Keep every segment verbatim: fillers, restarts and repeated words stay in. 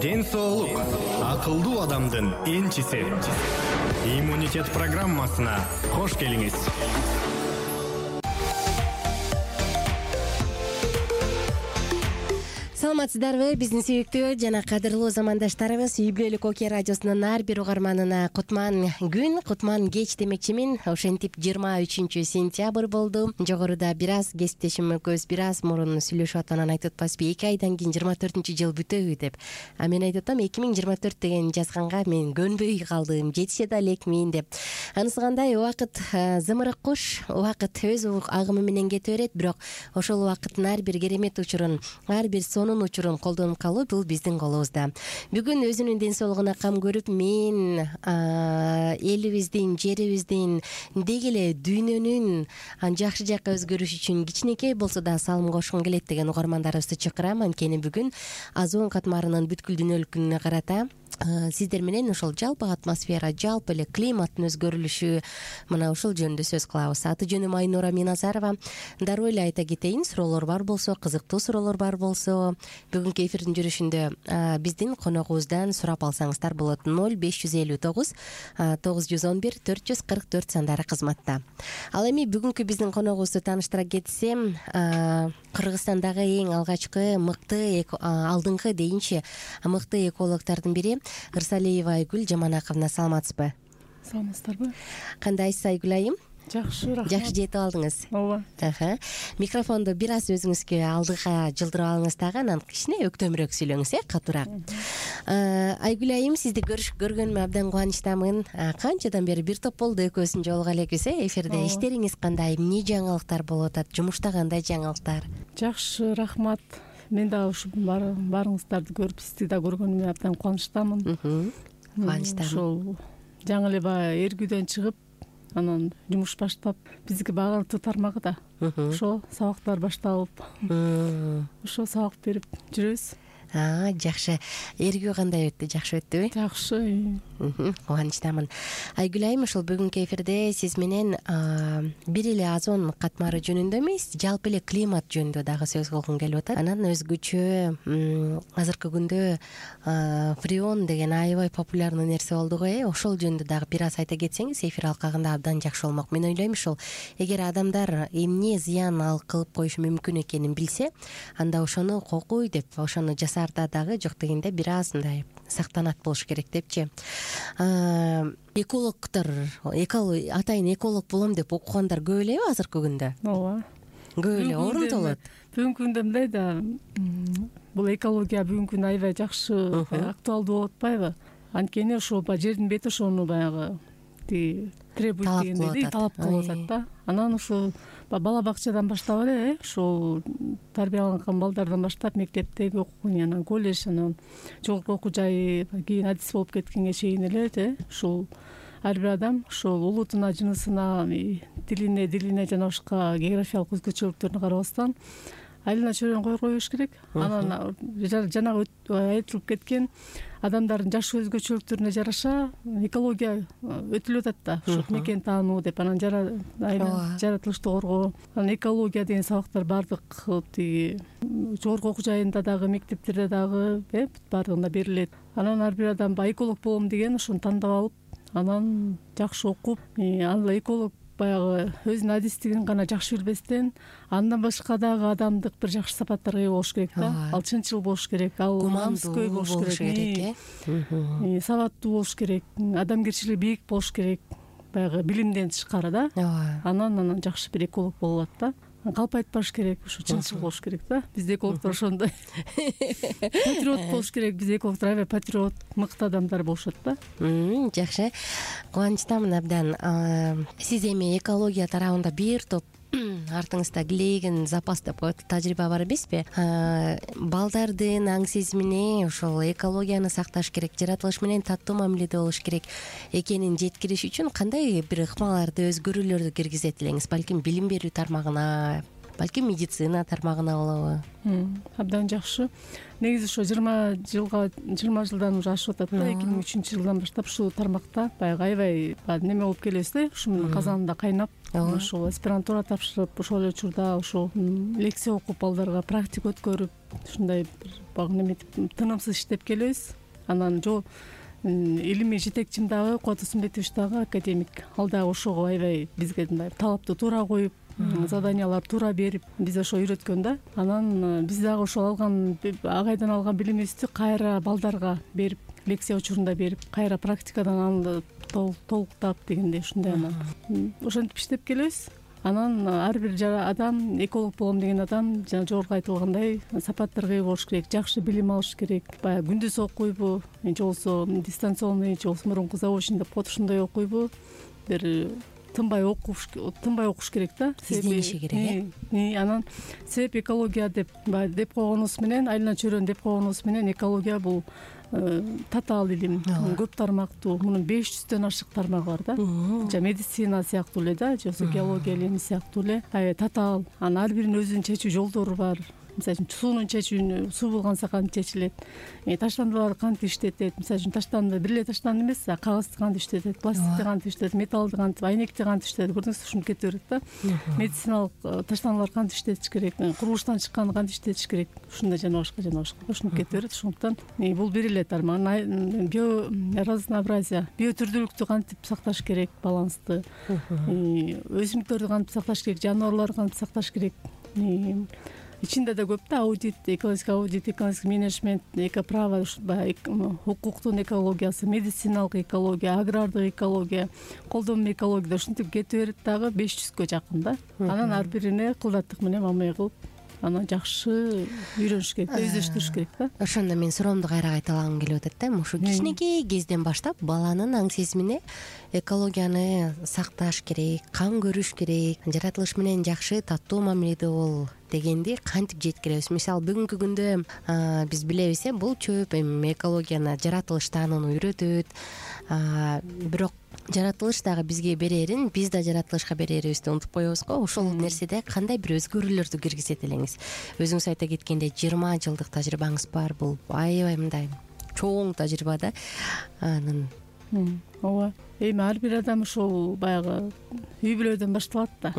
ден соолук акылдуу адамдын энчиси. Иммунитет программасына кош келиңиз. Саламатсыздарбы, биздин сүйүктүү жана кадырлуу замандаштарыбыз. Үй бүлөлүк Оке радиосунун ар бир угарманына кутман күн, кутман кеч демекчимин. Ошентип жыйырма үчүнчү сентябрь болду. Жогоруда бир аз кесиптешим экөөбүз бир аз мурун сүйлөшүп атканын айтып атпаспы, эки айдан кийин жыйырма төртүнчү жыл бүтөбү деп. А мен айтып атам, эки миң жыйырма төрт деген жазганга мен көнбөй калдым, жетише да элекмин деп. Анысы кандай, убакыт зымырык куш, убакыт өз агымы менен кете берет, бирок ошол убакыттын ар бир керемет учурун, ар бир сонун учурун колдонуп калуу бул биздин колубузда. Бүгүн өзүнүн ден соолугуна кам көрүп, мен элибиздин, жерибиздин, деги эле дүйнөнүн жакшы жакка өзгөрүшү үчүн кичинекей болсо да салым кошкум келет деген угармандарыбызды чакырам. Анткени бүгүн озон катмарынын бүткүл дүйнөлүк күнүнө карата сиздер менен ошол жалпы атмосфера, жалпы эле климаттын өзгөрүлүшү, мына ушул жөнүндө сөз кылабыз. Аты жөнүм Айнура Миназарова. Дароо эле айта кетейин, суроолор бар болсо, кызыктуу суроолор бар болсо, бүгүнкү эфирдин жүрүшүндө биздин коногубуздан сурап алсаңыздар болот. ноль беш жүз элүү тогуз тогуз жүз он бир төрт жүз кырк төрт сандары кызматта. Ал эми бүгүнкү биздин коногубузду тааныштыра кетсем, Кыргызстандагы эң алгачкы мыкты, алдыңкы дейинчи мыкты экологдордун бири Ырсалиева Айгүл Жаманаковна. Саламатсызбы? Саламатсыздарбы? Кандайсыз Айгүл айым? Жакшы, рахмат. Жакшы жетип алдыңыз? Ооба. Микрофонду бир аз өзүңүзгө алдыга жылдырып алыңыз дагы, анан кичине өктөмүрөөк сүйлөңүз, э, катуураак. Айгүл айым, сизди көргөнүмө абдан кубанычтамын. Канчадан бери бир топ болду экөөбүздүн жолуга элекпиз, э, эфирде. Иштериңиз кандай? Эмне жаңылыктар болуп атат? Жумушта кандай жаңылыктар? Жакшы, рахмат. Мен дагы ушу баарыңыздарды көрүп, сизди да көргөнүмө абдан кубанычтамын. Кубанычтамын. Ошол жаңы эле баягы эргүүдөн чыгып, анан жумуш баштап, биздики багыттуу тармагы да. Ошо сабактар башталып, ошо сабак берип жүрөбүз. Жакшы. Эргүү кандай өттү? Жакшы өттүбү? Жакшы. Кубанычтамын. Айгүл айым, ушул бүгүнкү эфирде сиз менен бир эле озон катмары жөнүндө эмес, жалпы эле климат жөнүндө дагы сөз кылгым келип атат. Анан өзгөчө азыркы күндө фреон деген аябай популярный нерсе болду го, э. Ошол жөнүндө дагы бир аз айта кетсеңиз, эфир алкагында абдан жакшы болмок. Мен ойлойм, ушул эгер адамдар эмне зыян ал кылып коюшу мүмкүн экенин билсе, анда ошону кокуй деп, ошону жасаарда дагы жок дегенде бир аз мындай сактанат болуш керек депчи. Экологдор, атайын эколог болом деп окугандар көп элеби азыркы күндө? Ооба. Көп эле орунду болот. Бүгүнкү күндө мындай да, бул экология бүгүнкү күндө аябай жакшы, актуалдуу болуп атпайбы? Анткени ошол баягы жердин бети ошону баягы требует дегендей талап кылып атат да. Анан ушул бала бакчадан баштап эле, ушул тарбияланган балдардан баштап, мектептеги окуун, анан колледж, анан жогорку окуу жайы, кийин адис болуп кеткенге чейин эле, ушул ар бир адам ушул улутуна, жынысына, тилине, дилине жана башка географиялык өзгөчөлүктөрүнө карабастан айлана чөйрөнү койгой коюш керек. Анан жанагы айтылып кеткен адамдардын жаш өзгөчөлүктөрүнө жараша экология өтүлүп атат да. Ошо мекен таануу деп, анан жаратылышты коргоо, анан экология деген сабактар баардык тиги жогорку окуу жайында дагы, мектептерде дагы, э, баардыгында берилет. Анан ар бир адам баягы эколог болом деген ошону тандап алып, анан жакшы окуп, аны эколог баягы өзүнүн адистигин гана жакшы билбестен, андан башка дагы адамдык бир жакшы сапаттарга ээ болуш керек да. Ал чынчыл болуш керек, ал намыскөй болуш керек, э, сабаттуу болуш керек, адамгерчилиги бийик болуш керек, баягы билимден тышкары да. Анан анан жакшы бир эколог болуп атат да. Калп айтпаш керек, ушу чынчыл болуш керек да. Бизде экологдор ошондой. Патриот болуш керек, бизде экологдор аябай патриот, мыкты адамдар болушат да. Жакшы. Кубанычтамын абдан. Сиз эми экология тарабында бир топ артыңызда килейген запас деп коет тажрыйба бар эмеспи? Балдардын аң сезимине ошол экологияны сакташ керек, жаратылыш менен таттуу мамиледе болуш керек экенин жеткириш үчүн кандай бир ыкмаларды, өзгөрүүлөрдү киргизет элеңиз? Балким билим берүү тармагына, балким медицина тармагына болобу? Абдан жакшы. Негизи ошо жыйырма жылга жыйырма жылдан уже ашып атат да. эки миң үчүнчү жылдан баштап ушул тармакта баягы аябай неме болуп келебиз да. Ушунун казанында кайнап, ошол аспирантура тапшырып, ошол эле учурда ошол лекция окуп, балдарга практика өткөрүп, ушундай баягы неметип тынымсыз иштеп келебиз. Анан жол илимий жетекчим дагы Кубат Усмбетович дагы академик. Ал дагы ошого аябай бизге мындай талапты туура коюп, заданиялар туура берип, биз ошо үйрөткөн да. Анан биз дагы ошол алган агайдан алган билимибизди кайра балдарга берип, лекция учурунда берип, кайра практикадан аны толуктап дегендей ушундай. Анан ошентип иштеп келебиз. Анан ар бир адам, эколог болом деген адам жана жогорку айтылгандай сапаттарга ээ болуш керек, жакшы билим алыш керек. Баягы күндүз окуйбу, же болбосо дистанционный, же болбосо мурунку заочный деп коет, ушундай окуйбу, бир тынбай окуш, тынбай окуш керек да. Издениши керек э. Анан себеп экология деп баягы деп койгонубуз менен, айлана чөйрөнү деп койгонубуз менен экология бул татаал илим, көп тармактуу, мунун беш жүздөн ашык тармагы бар да. Жа медицина сыяктуу эле да, же болбосо геология илими сыяктуу эле аябай татаал. Анан ар биринин өзүнүн чечүү жолдору бар. Мисалы үчүн суунун чечүүнү, суу булганса кантип чечилет, таштандылар кантип иштетет. Мисалы үчүн таштанды бир эле таштанды эмес, кагазды кантип иштетет, пластикти кантип иштетет, металлды кантип, айнекти кантип иштетет. Көрдүңүзбү, ушинтип кете берет да. Медициналык таштандылар кантип иштетиш керек, курулуштан чыкканды кантип иштетиш керек, ушундай жана башка жана башка ушинтип кете берет. Ошондуктан бул бир эле тармак. Био разнообразие, биотүрдүүлүктү кантип сакташ керек, балансты, өсүмдүктөрдү кантип сакташ керек, жаныбарларды кантип сакташ керек. Ичинде да көп да, аудит, экологический аудит, экологический менеджмент, экоправо, укуктун экологиясы, медициналык экология, агрардык экология, колдонмо экология, ушинтип кете берет дагы беш жүзгө жакын да. Анан ар бирине кылдаттык менен мамиле кылып, анан жакшы үйрөнүш керек, өздөштүрүш керек да. Ошондо мен суроомду кайра кайталагым келип атат да. Ушу кичинекей кезден баштап баланын аң сезимине экологияны сакташ керек, кам көрүш керек, жаратылыш менен жакшы таттуу мамиледе бол дегенди кантип жеткиребиз? Мисалы бүгүнкү күндө биз билебиз, э, бул чөп эми экологияны жаратылыш таанууну үйрөтөт. Бирок жаратылыш дагы бизге берерин биз да жаратылышка берерибизди унутуп коебуз го. Ошол нерседе кандай бир өзгөрүүлөрдү киргизет элеңиз? Өзүңүз айта кеткендей жыйырма жылдык тажрыйбаңыз бар, бул аябай мындай чоң тажрыйба да. Анан ооба, эми ар бир адам ушул баягы үй бүлөдөн башталат да.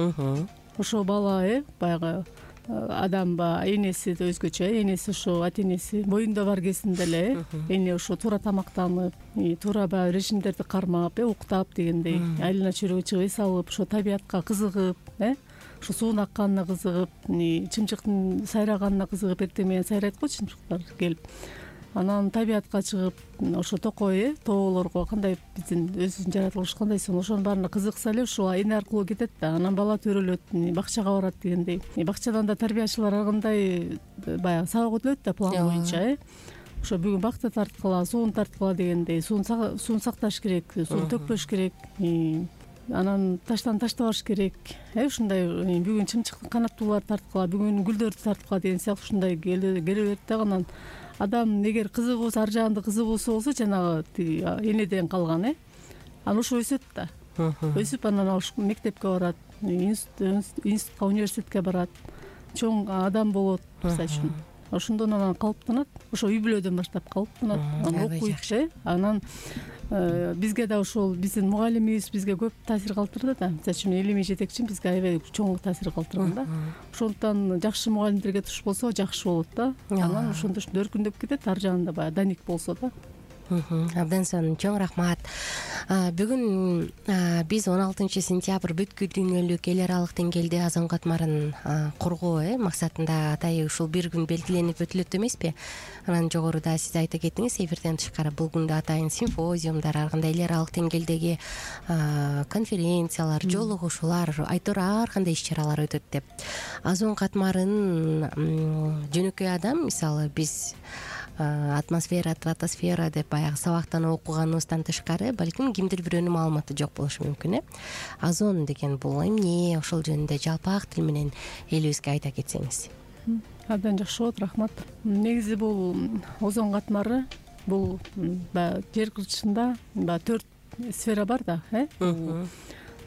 Ошо бала, э, баягы адам ба энеси да өзгөчө, энеси ошо ата энеси боюнда бар кезинде эле эне ошо туура тамактанып, туура баягы режимдерди кармап, уктап дегендей, айлана чөйрөгө чыгып эс алып, ошо табиятка кызыгып, э, ошо суунун акканына кызыгып, чымчыктын сайраганына кызыгып, эртең менен сайрайт го чымчыктар келип. Анан табиятка чыгып, ошо токой, э, тоолорго кандай биздин өзүбүздүн жаратылыш кандай сон, ошонун баарына кызыкса эле ушул эне аркылуу кетет да. Анан бала төрөлөт, бакчага барат дегендей. Бакчадан да тарбиячылар ар кандай баягы сабак өтүлөт да план боюнча, э. Ошо бүгүн бакты тарткыла, сууну тарткыла дегендей, сууну сакташ керек, сууну төкпөш керек. Анан таштан таштабаш керек, э, ушундай бүгүн чымчыктын канаттууларды тарткыла, бүгүн гүлдөрдү тарткыла деген сыяктуу ушундай келе берет да. Анан адам эгер кызыгуусу, ар жагында кызыгуусу болсо, жанагы энеден калган, э, анан ошо өсөт да. Өсүп анан ал мектепке барат, институтка, университетке барат, чоң адам болот, мисалы үчүн. Ошондон анан калыптанат, ошо үй бүлөдөн баштап калыптанат, анан окуйт, э. Анан бизге да ошол биздин мугалимибиз бизге көп таасир калтырды да. Мисалы үчүн илимий жетекчим бизге аябай чоң таасир калтырган да. Ошондуктан жакшы мугалимдерге туш болсо жакшы болот да. Анан ошондо өркүндөп кетет, ар жагында баягы даник болсо да. Абдан сонун, чоң рахмат. Бүгүн биз он алтынчы сентябрь бүткүл дүйнөлүк эл аралык деңгээлде озон катмарын коргоо максатында атайы ушул бир күн белгиленип өтүлөт эмеспи? Анан жогоруда сиз айта кеттиңиз, эфирден тышкары бул күндө атайын симпозиумдар, ар кандай эл аралык деңгээлдеги конференциялар, жолугушуулар, айтор ар кандай иш-чаралар өтөт деп. Озон катмарын жөнөкөй адам, мисалы биз атмосфера, стратосфера деп баягы сабактан окуганыбыздан тышкары балким кимдир бирөөнүн маалыматы жок болушу мүмкүн, э. Озон деген бул эмне? Ошол жөнүндө жалпак тил менен элибизге айта кетсеңиз. Абдан жакшы болот, рахмат. Негизи бул озон катмары бул баягы жер кыртышында баягы төрт сфера бар да, э.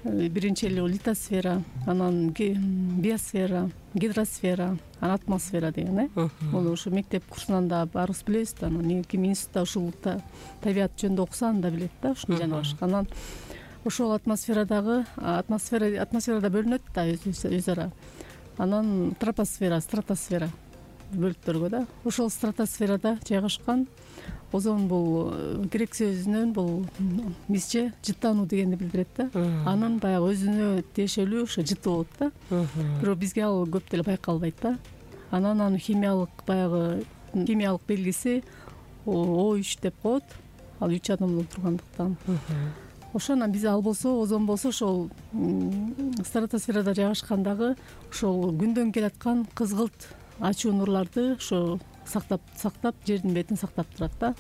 биринчи эле литосфера, анан биосфера, гидросфера, анан атмосфера деген э бул ушу мектеп курсунан да баарыбыз билебиз да. Анан ким институтта ушул табият жөнүндө окуса анда билет да ушуну жана башка. Анан ошол атмосферадагы атмосфера атмосферада бөлүнөт да өз ара. Анан тропосфера, стратосфера бөлүктөргө да. Ошол стратосферада жайгашкан озон бул грек сөзүнөн бул бизче жыттануу дегенди билдирет да. Анын баягы өзүнө тиешелүү ошо жыты болот да. Бирок бизге ал көп деле байкалбайт да. Анан анын химиялык баягы химиялык белгиси О үч деп коет. Ал үч атомдон тургандыктан. Ошондон биз ал болсо, озон болсо ошол стратосферада жайгашкандагы ошол күндөн келаткан кызгылт ачуу нурларды ошо сактап сактап жердин бетин сактап турат да.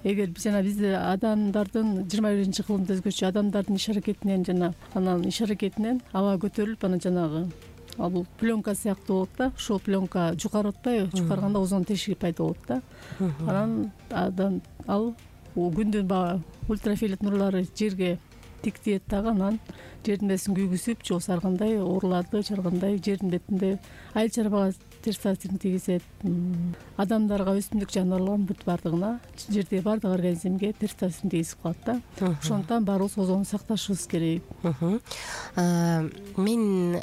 Эгер жана бизде адамдардын жыйырма биринчи кылымда өзгөчө адамдардын иш аракетинен жана анан иш аракетинен аба көтөрүлүп анан жанагы ал бул пленка сыяктуу болот да. Ошол пленка жукарып атпайбы? Жукарганда озон тешиги пайда болот да. Анан адам ал күндүн баягы ультрафиолет нурлары жерге тик тиет дагы, анан жердин бетин күйгүзүп же болбосо ар кандай ооруларды чаргандай жердин бетинде айыл чарбага терс таасирин тийгизет. Адамдарга, өсүмдүк жаныбарларга бүт баардыгына, жердеги баардык организмге терс таасирин тийгизип калат да. Ошондуктан баарыбыз озонду сакташыбыз керек. Мен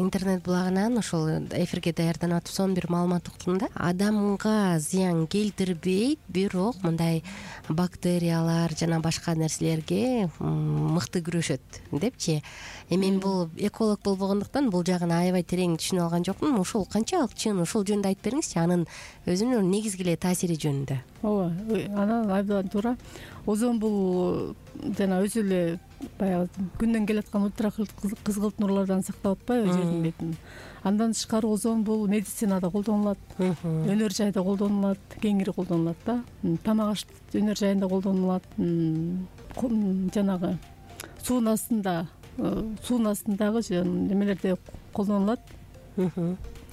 интернет булагынан ошол эфирге даярданып атып бир маалымат уктум да. Адамга зыян келтирбейт, бирок мындай бактериялар жана башка нерселерге мыкты күрөшөт депчи. Мен бул эколог болбогондуктан бул жагын аябай терең түшүнө алган жокмун. Ошол канчалык чын, ошол жөнүндө айтып бериңизчи, анын өзүнүн негизги эле таасири жөнүндө. Ооба, анан абдан туура. Озон бул жана өзү эле баягы күндөн келаткан ультракызгылт нурлардан сактап атпайбы жердин бетин. Андан тышкары озон бул медицинада колдонулат, өнөр жайда колдонулат, кеңири колдонулат да. Тамак аш өнөр жайында колдонулат, жанагы суунун астында, суунун астындагы немелерде колдонулат.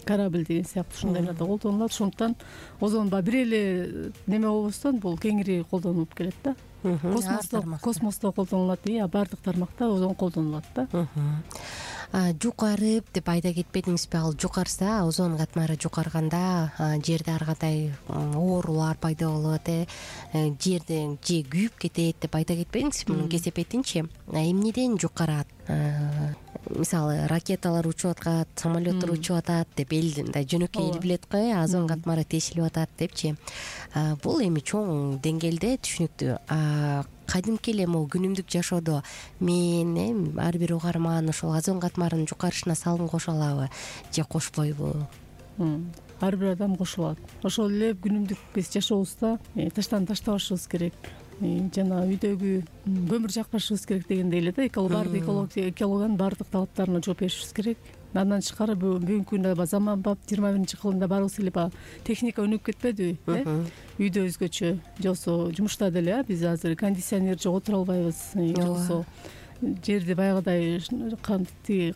Корабль деген сыяктуу ушундайларда колдонулат. Ошондуктан озон бир эле неме болбостон бул кеңири колдонулуп келет да. Космосто космосто колдонулат, а баардык тармакта озон колдонулат да. Жукарып деп айта кетпедиңизби? Ал жукарса, озон катмары жукарганда жерде ар кандай оорулар пайда болот, э жерде же күйүп кетет деп айта кетпедиңизби? Мунун кесепетинчи эмнеден жукарат? Мисалы, ракеталар учуп аткат, самолеттор учуп атат деп эл мындай жөнөкөй эл билет го, озон катмары тешилип атат депчи. Бул эми чоң деңгээлде түшүнүктүү. Кадимки эле могу күнүмдүк жашоодо мен ар бир угарман ошол озон катмарынын жукарышына салым кошо алабы же кошпойбу? Ар бир адам кошо алат. Ошол эле күнүмдүк биз жашообузда таштан таштабашыбыз керек. Жана үйдөгү көмүр жакпашыбыз керек дегендей эле да. Баардык экологиянын баардык талаптарына жооп беришибиз керек. Андан тышкары бүгүнкү күндө заманбап жыйырма биринчи кылымда баарыбыз эле баягы техника өнүгүп кетпедиби? Үйдө өзгөчө, же болбосо жумушта деле биз азыр кондиционер жок отура албайбыз, же болбосо жерди баягыдай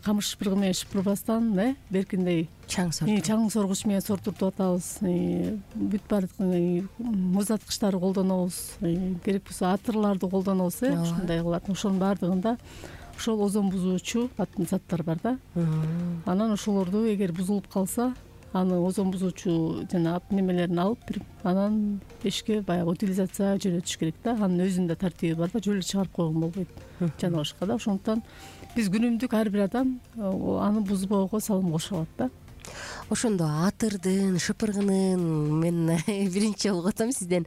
камыш шыпыргы менен шыпырбастан, э беркиндей чаң соргуч чаң соргуч менен сортуртуп атабыз. Бүт баардык муздаткычтарды колдонобуз, керек болсо атырларды колдонобуз, э ушундай кылат. Ошонун баардыгында ошол озон бузуучу заттар бар да. Анан ошолорду эгер бузулуп калса, аны озон бузуучу жана немелерин алып, анан эшикке баягы утилизация жөнөтүш керек да. Анын өзүнүн тартиби бар да, жөн эле чыгарып койгон болбойт жана башка да. Ошондуктан биз күнүмдүк ар бир адам аны бузбоого салым кошо алат да. Ошондо атырдын, шыпыргынын мен биринчи жолу угутам сизден.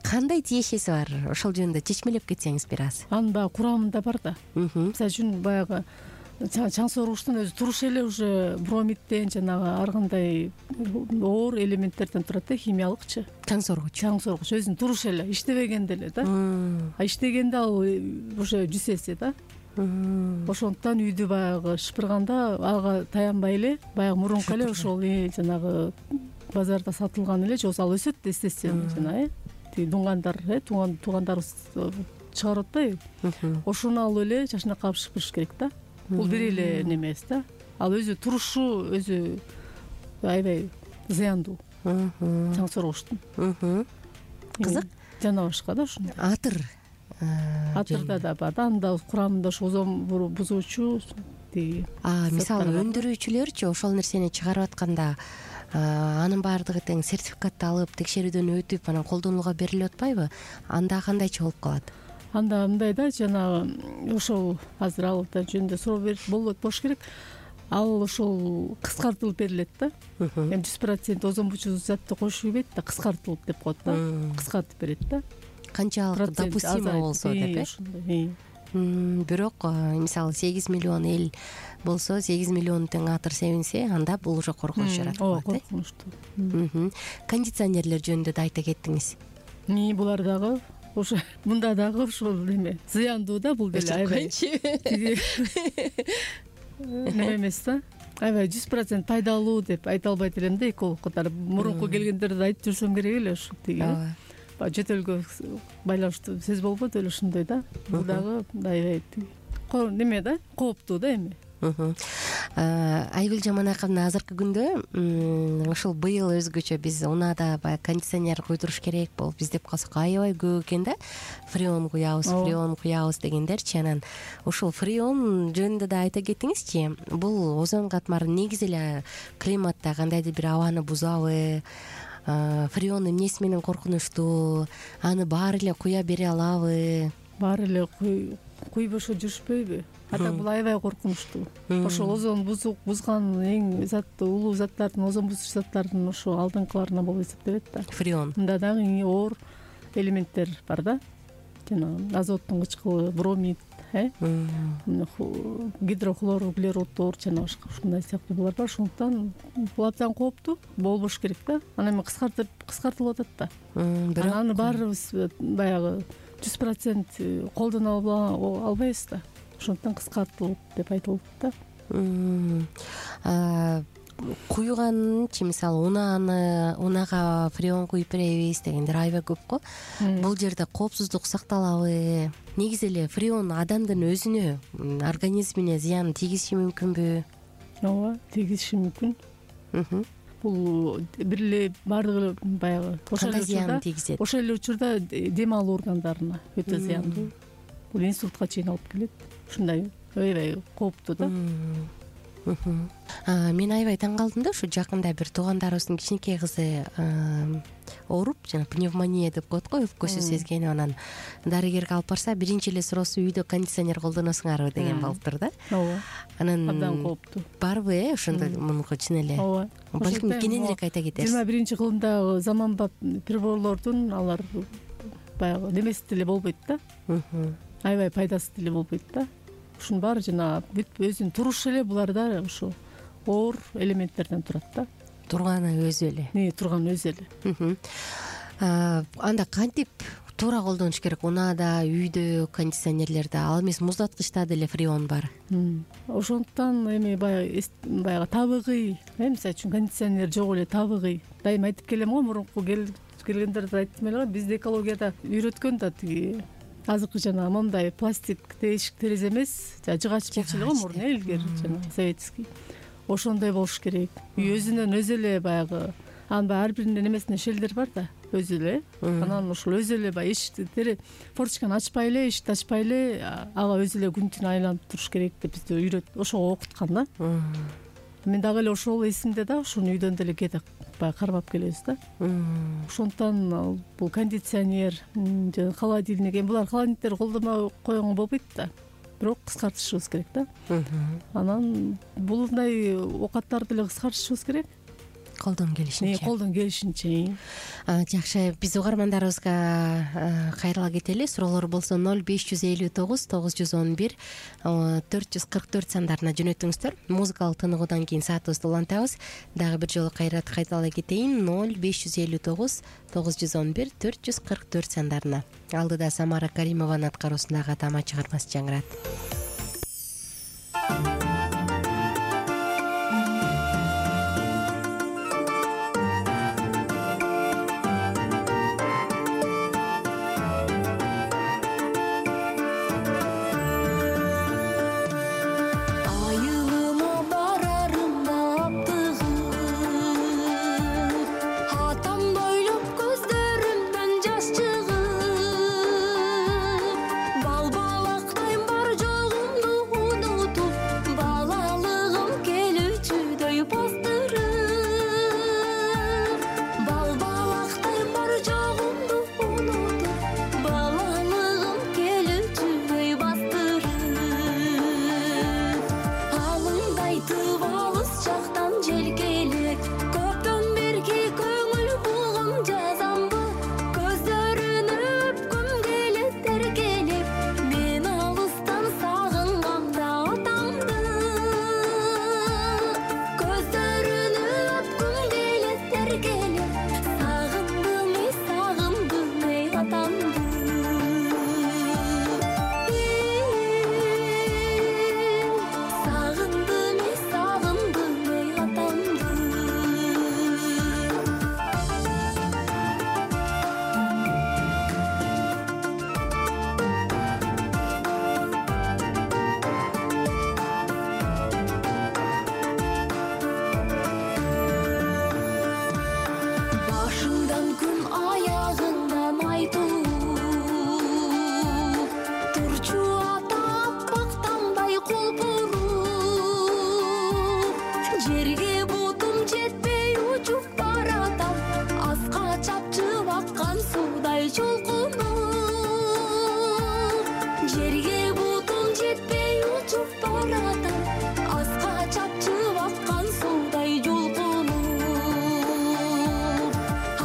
Кандай тиешеси бар? Ошол жөнүндө чечмелеп кетсеңиз бир аз. Анын баягы курамында бар да. Мисалы үчүн баягы чаң соргучтун өзү туруш эле уже бромидден жанагы ар кандай оор элементтерден турат да, химиялыкчы. Чаң соргуч. Чаң соргуч өзүнүн туруш эле, иштебегенде эле да. А иштегенде ал уже жүз эсе да. Ошондуктан үйдү баягы шыпырганда ага таянбай эле, баягы мурунку эле ошол жанагы базарда сатылган эле, же болбосо ал өсөт да, естественно, жана э тиги дуңгандар, э туугандарыбыз чыгарып атпайбы? Ошону алып эле жашына калып шыпырыш керек да. Бул бир эле немеси да. Ал өзү турушу өзү аябай зыяндуу. Чаң соргучтун. Кызык. Жана башка да ушундай. Атыр атырда да бар да, анда курамында ушу озон бузуучу тиги. Мисалы өндүрүүчүлөрчү ошол нерсени чыгарып атканда анын баардыгы тең сертификатты алып, текшерүүдөн өтүп, анан колдонууга берилип атпайбы? Анда кандайча болуп калат? Анда мындай да, жанагы ошол азыр ал жөнүндө суроо берип болот болуш керек. Ал ошол кыскартылып берилет да. Эми жүз процент озон бузуучу затты кошуп ийбейт да, кыскартылып деп коет да. Кыскартып берет да. Канчалык допустимо болсо деп, э? Бирок мисалы сегиз миллион эл болсо, сегиз миллион тең атыр себинсе, анда бул уже коркунуч жаратат. Ооба, коркунучтуу. Кондиционерлер жөнүндө да айта кеттиңиз. Булар дагы ошо мында дагы ошол неме зыяндуу да, бул деле аябай. Неме эмес да. Аябай жүз процент пайдалуу деп айта албайт элем да, эколог катары. Мурунку келгендерди айтып жүрсөм керек эле ушу тиги. Жөт элге байланыштуу сөз болбойт эле ошондой да. Бул дагы аябай неме да, кооптуу да эми. Айгүл Жаманаковна, азыркы күндө ушул быйыл өзгөчө биз унаада баягы кондиционер куйдуруш керек болуп издеп калсак аябай көп экен да. Фреон куябыз, фреон куябыз дегендерчи. Анан ушул фреон жөнүндө да айта кетиңизчи. Бул озон катмары негизи эле климатта кандайдыр бир абаны бузабы? Фреон эмнеси менен коркунучтуу? Аны баары эле куя бере алабы? Баары эле куйбошо жүрүшпөйбү? Ата бул аябай коркунучтуу. Ошол озон бузган эң заттуу улуу заттардын, озон бузуучу заттардын ошо алдыңкыларына болуп эсептелет да. Фреон. Мында дагы оор элементтер бар да. Жана азоттун кычкылы, бромид, э? Гидрохлор, углероддор жана башка ушундай сыяктуулар бар. Ошондуктан бул абдан кооптуу болбош керек да. Анан эми кыскартып, кыскартылып атат да. Бирок аны баарыбыз баягы жүз процент колдоно албайбыз да. Ошондуктан кыскартылып деп айтылат да. Куйганчы, мисалы унааны, унага фреон куюп беребиз дегендер аябай көп го. Бул жерде коопсуздук сакталабы? Негизи эле фреон адамдын өзүнө, организмине зыян тийгизиши мүмкүнбү? Ооба, тийгизиши мүмкүн. Бул бир эле баардыгы баягы ошол эле учурда, ошол эле учурда дем алуу органдарына өтө зыяндуу. Бул инсультка чейин алып келет. Ушундай аябай кооптуу да. Мен аябай таң калдым да, ушу жакында бир туугандарыбыздын кичинекей кызы ооруп, жана пневмония деп коет го, өпкөсү сезгенип, анан дарыгерге алып барса, биринчи эле суроосу үйдө кондиционер колдоносуңарбы деген болуптур да. Ооба. Анан абдан кооптуу. Барбы, э, ошондой мунуку чын эле? Ооба. Балким кененирээк айта кетерсиз. жыйырма биринчи кылымдагы заманбап приборлордун алар баягы немеси деле болбойт да. Аябай пайдасы деле болбойт да. Ушунун баары жана бүт өзүнүн турушу эле буларда ошо оор элементтерден турат да. Турганы өзү эле. Не, турган өзү эле. Анда кантип туура колдонуш керек? Унаада, үйдө, кондиционерлерде, ал эмес муздаткычта деле фреон бар. Ошондуктан эми баягы баягы табигый, мисалы үчүн кондиционер жок эле табигый. Дайыма айтып келем го, мурунку келгендерде айттым эле го, бизди экологияда үйрөткөн да тиги азыркы жана мондай пластик тешик терезе эмес, жыгач болчу эле го мурун, илгери жана советский. Ошондой болуш керек. Үй өзүнөн өзү эле баягы, анын ар биринин немесинде шелдер бар да, өзү эле. Анан ошол өзү эле баягы эшикти тере форточканы ачпай эле, эшикти ачпай эле, ага өзү эле күн түн айланып туруш керек деп бизди үйрөт, ошого окуткан да. Мен дагы эле ошол эсимде да, ошону үйдөн деле кээде баягы кармап келебиз да. Ошондуктан бул кондиционер, жана холодильник, эми булар холодильниктер колдонбой койгонго болбойт да. Бирок кыскартышыбыз керек да. Анан булундай оокаттарды деле кыскартышыбыз керек. Колдон келишинче. Колдон келишинче. Жакшы, биз угармандарыбызга кайрыла кетели. Суроолор болсо ноль беш жүз элүү тогуз тогуз жүз он бир төрт жүз кырк төрт сандарына жөнөтүңүздөр. Музыкалык тыныгуудан кийин саатыбызды улантабыз. Дагы бир жолу кайрат кайталай кетейин. ноль беш жүз элүү тогуз тогуз жүз он бир төрт жүз кырк төрт сандарына. Алдыда Самара Каримованын аткаруусундагы тама чыгармасы жаңырат. жолкуну жерге бутум жетпей учуп баратам аска чапчып аккан суудай жолкуну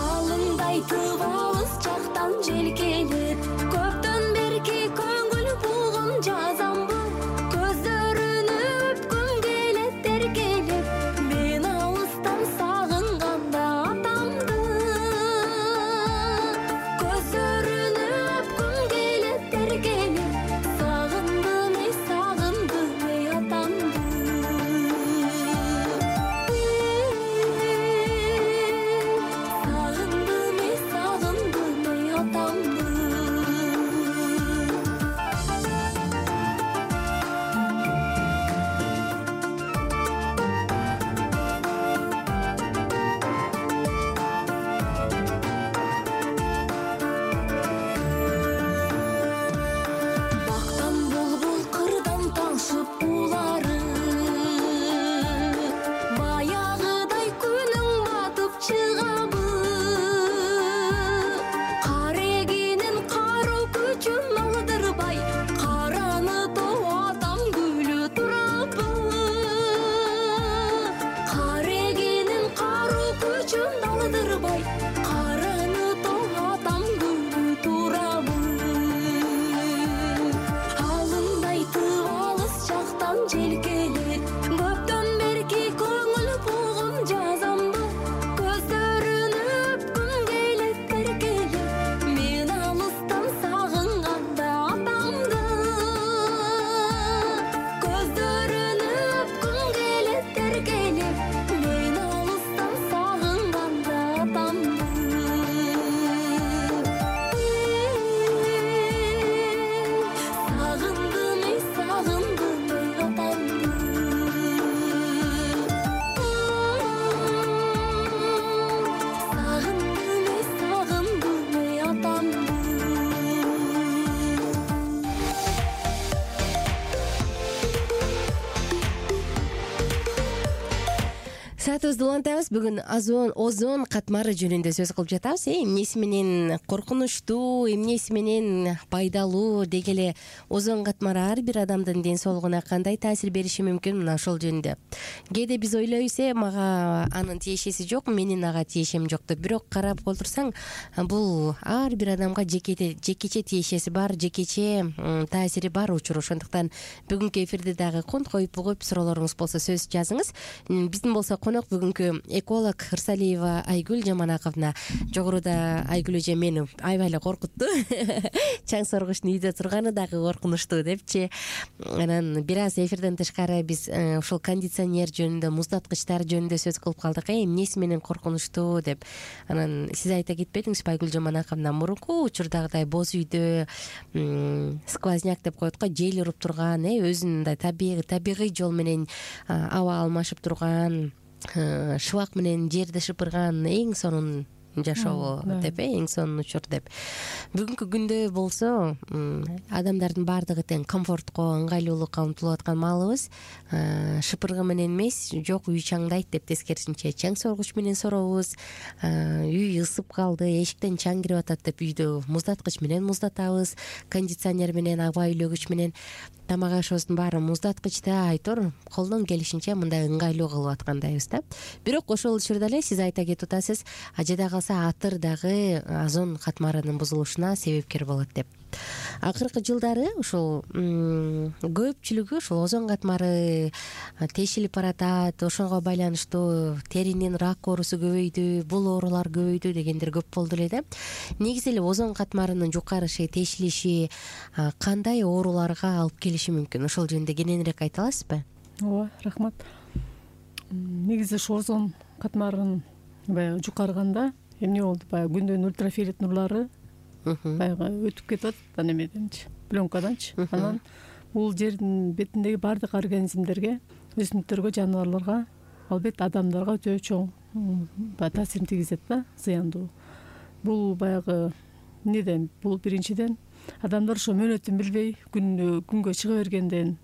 алыңдайтып алыс жактан жел келет көптөн берки көңүл булгун жазамбы көздөрүнү өпкүм келет эркелеп мен алыстан сагынганда атамды көздөрүнү өпкүм келет эркелеп сагындым эй сагындым эй атамды сагындым эй сагындым эй атамды бактан булбул кырдан талшып улары баягыдай күнүң батып чыгабы кар эгинин каруу күчүн алдырбай караны тоо атам күлү турабы кар эгинин каруу күчүн алдырбай караны тоо атам күлү турабы алыңдайтып алыс жактан жел келет көптөн берки көңүл булгун жазамбы көздөрүнү өпкүм келет эркелеп мен алыстан сагынганда атамды көздөрүнү өпкүм келет эркелеп мен алыстан сагынганда атамды сагындым эй сагындым эй атамды сагындым эй сагындым эй атамды Саатыбызды улантабыз. Бүгүн озон озон катмары жөнүндө сөз кылып жатабыз. Э, эмнеси менен коркунучтуу, эмнеси менен пайдалуу деги эле озон катмары ар бир адамдын ден соолугуна кандай таасир бериши мүмкүн, мына ошол жөнүндө. Кээде биз ойлойбуз, э, мага анын тиешеси жок, менин ага тиешем жок деп. Бирок карап отурсаң, бул ар бир адамга жеке жекече тиешеси бар, жекече таасири бар учур. Ошондуктан бүгүнкү эфирде дагы конт коюп бугуп суроолоруңуз болсо сөз жазыңыз. Биздин болсо конок бүгүнкү эколог Ырсалиева Айгүл Жаманаковна. Жогоруда Айгүл эже мени аябай эле коркутту. Чаң соргучтун үйдө турганы дагы коркунучтуу депчи. Анан бир аз эфирден тышкары биз ушул кондиционер жөнүндө, муздаткычтар жөнүндө сөз кылып калдык. Э, эмнеси менен коркунучтуу деп. Анан сиз айта кетпедиңизби Айгүл Жаманаковна, мурунку учурдагыдай боз үйдө сквозняк деп коет го, жел уруп турган, э, өзүнүн мындай табигый табигый жол менен аба алмашып турган, шыбак менен жерди шыпырган эң сонун жашоо деп, эң сонун учур деп. Бүгүнкү күндө болсо адамдардын баардыгы тең комфортко, ыңгайлуулукка умтулуп аткан маалыбыз. Шыпыргы менен эмес, жок үй чаңдайт деп тескерисинче чаң соргуч менен соробуз. Үй ысып калды, эшиктен чаң кирип атат деп үйдө муздаткыч менен муздатабыз, кондиционер менен, аба үйлөгүч менен. Тамак ашыбыздын баары муздаткычта, айтор колдон келишинче мындай ыңгайлуу кылып аткандайбыз да. Бирок ошол учурда эле сиз айта кетип атасыз, ажеда калса атыр дагы озон катмарынын бузулушуна себепкер болот деп. Акыркы жылдары ушул көпчүлүгү ушул озон катмары тешилип баратат, ошого байланыштуу теринин рак оорусу көбөйдү, бул оорулар көбөйдү дегендер көп болду эле да. Негизи эле озон катмарынын жукарышы, тешилиши кандай ооруларга алып келиши мүмкүн? Ошол жөнүндө кененирээк айта аласызбы? Ооба, рахмат. Негизи ушу озон катмарынын баягы жукарганда эмне болду? Баягы күндүн ультрафиолет нурлары баягы өтүп кетип атат ан эмеденчи, пленкаданчы. Анан бул жердин бетиндеги баардык организмдерге, өсүмдүктөргө, жаныбарларга, албетте адамдарга өтө чоң таасирин тийгизет да, зыяндуу. Бул баягы эмнеден? Бул биринчиден адамдар ошо мөөнөтүн билбей күнү күнгө чыга бергенден,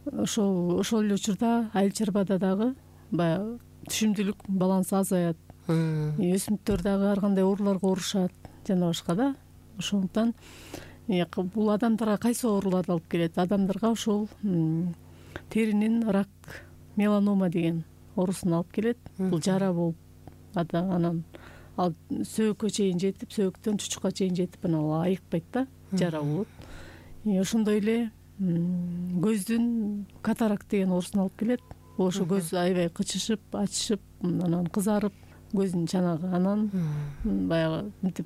ошол ошол эле учурда айыл чарбада дагы баягы түшүмдүүлүк балансы азаят. өсүмдүктөр дагы ар кандай ооруларга оорушат жана башка да. Ошондуктан бул адамдарга кайсы ооруларды алып келет? Адамдарга ошол теринин рак, меланома деген оорусун алып келет. Бул жара болуп анан ал сөөгкө чейин жетип, сөөктөн чучукка чейин жетип анан айыкпайт да, жара болот. Ошондой эле көздүн катаракт деген оорусун алып келет. Бул ошо көз аябай кычышып, ачышып, анан кызарып, көздүн чанагы анан баягы мынтип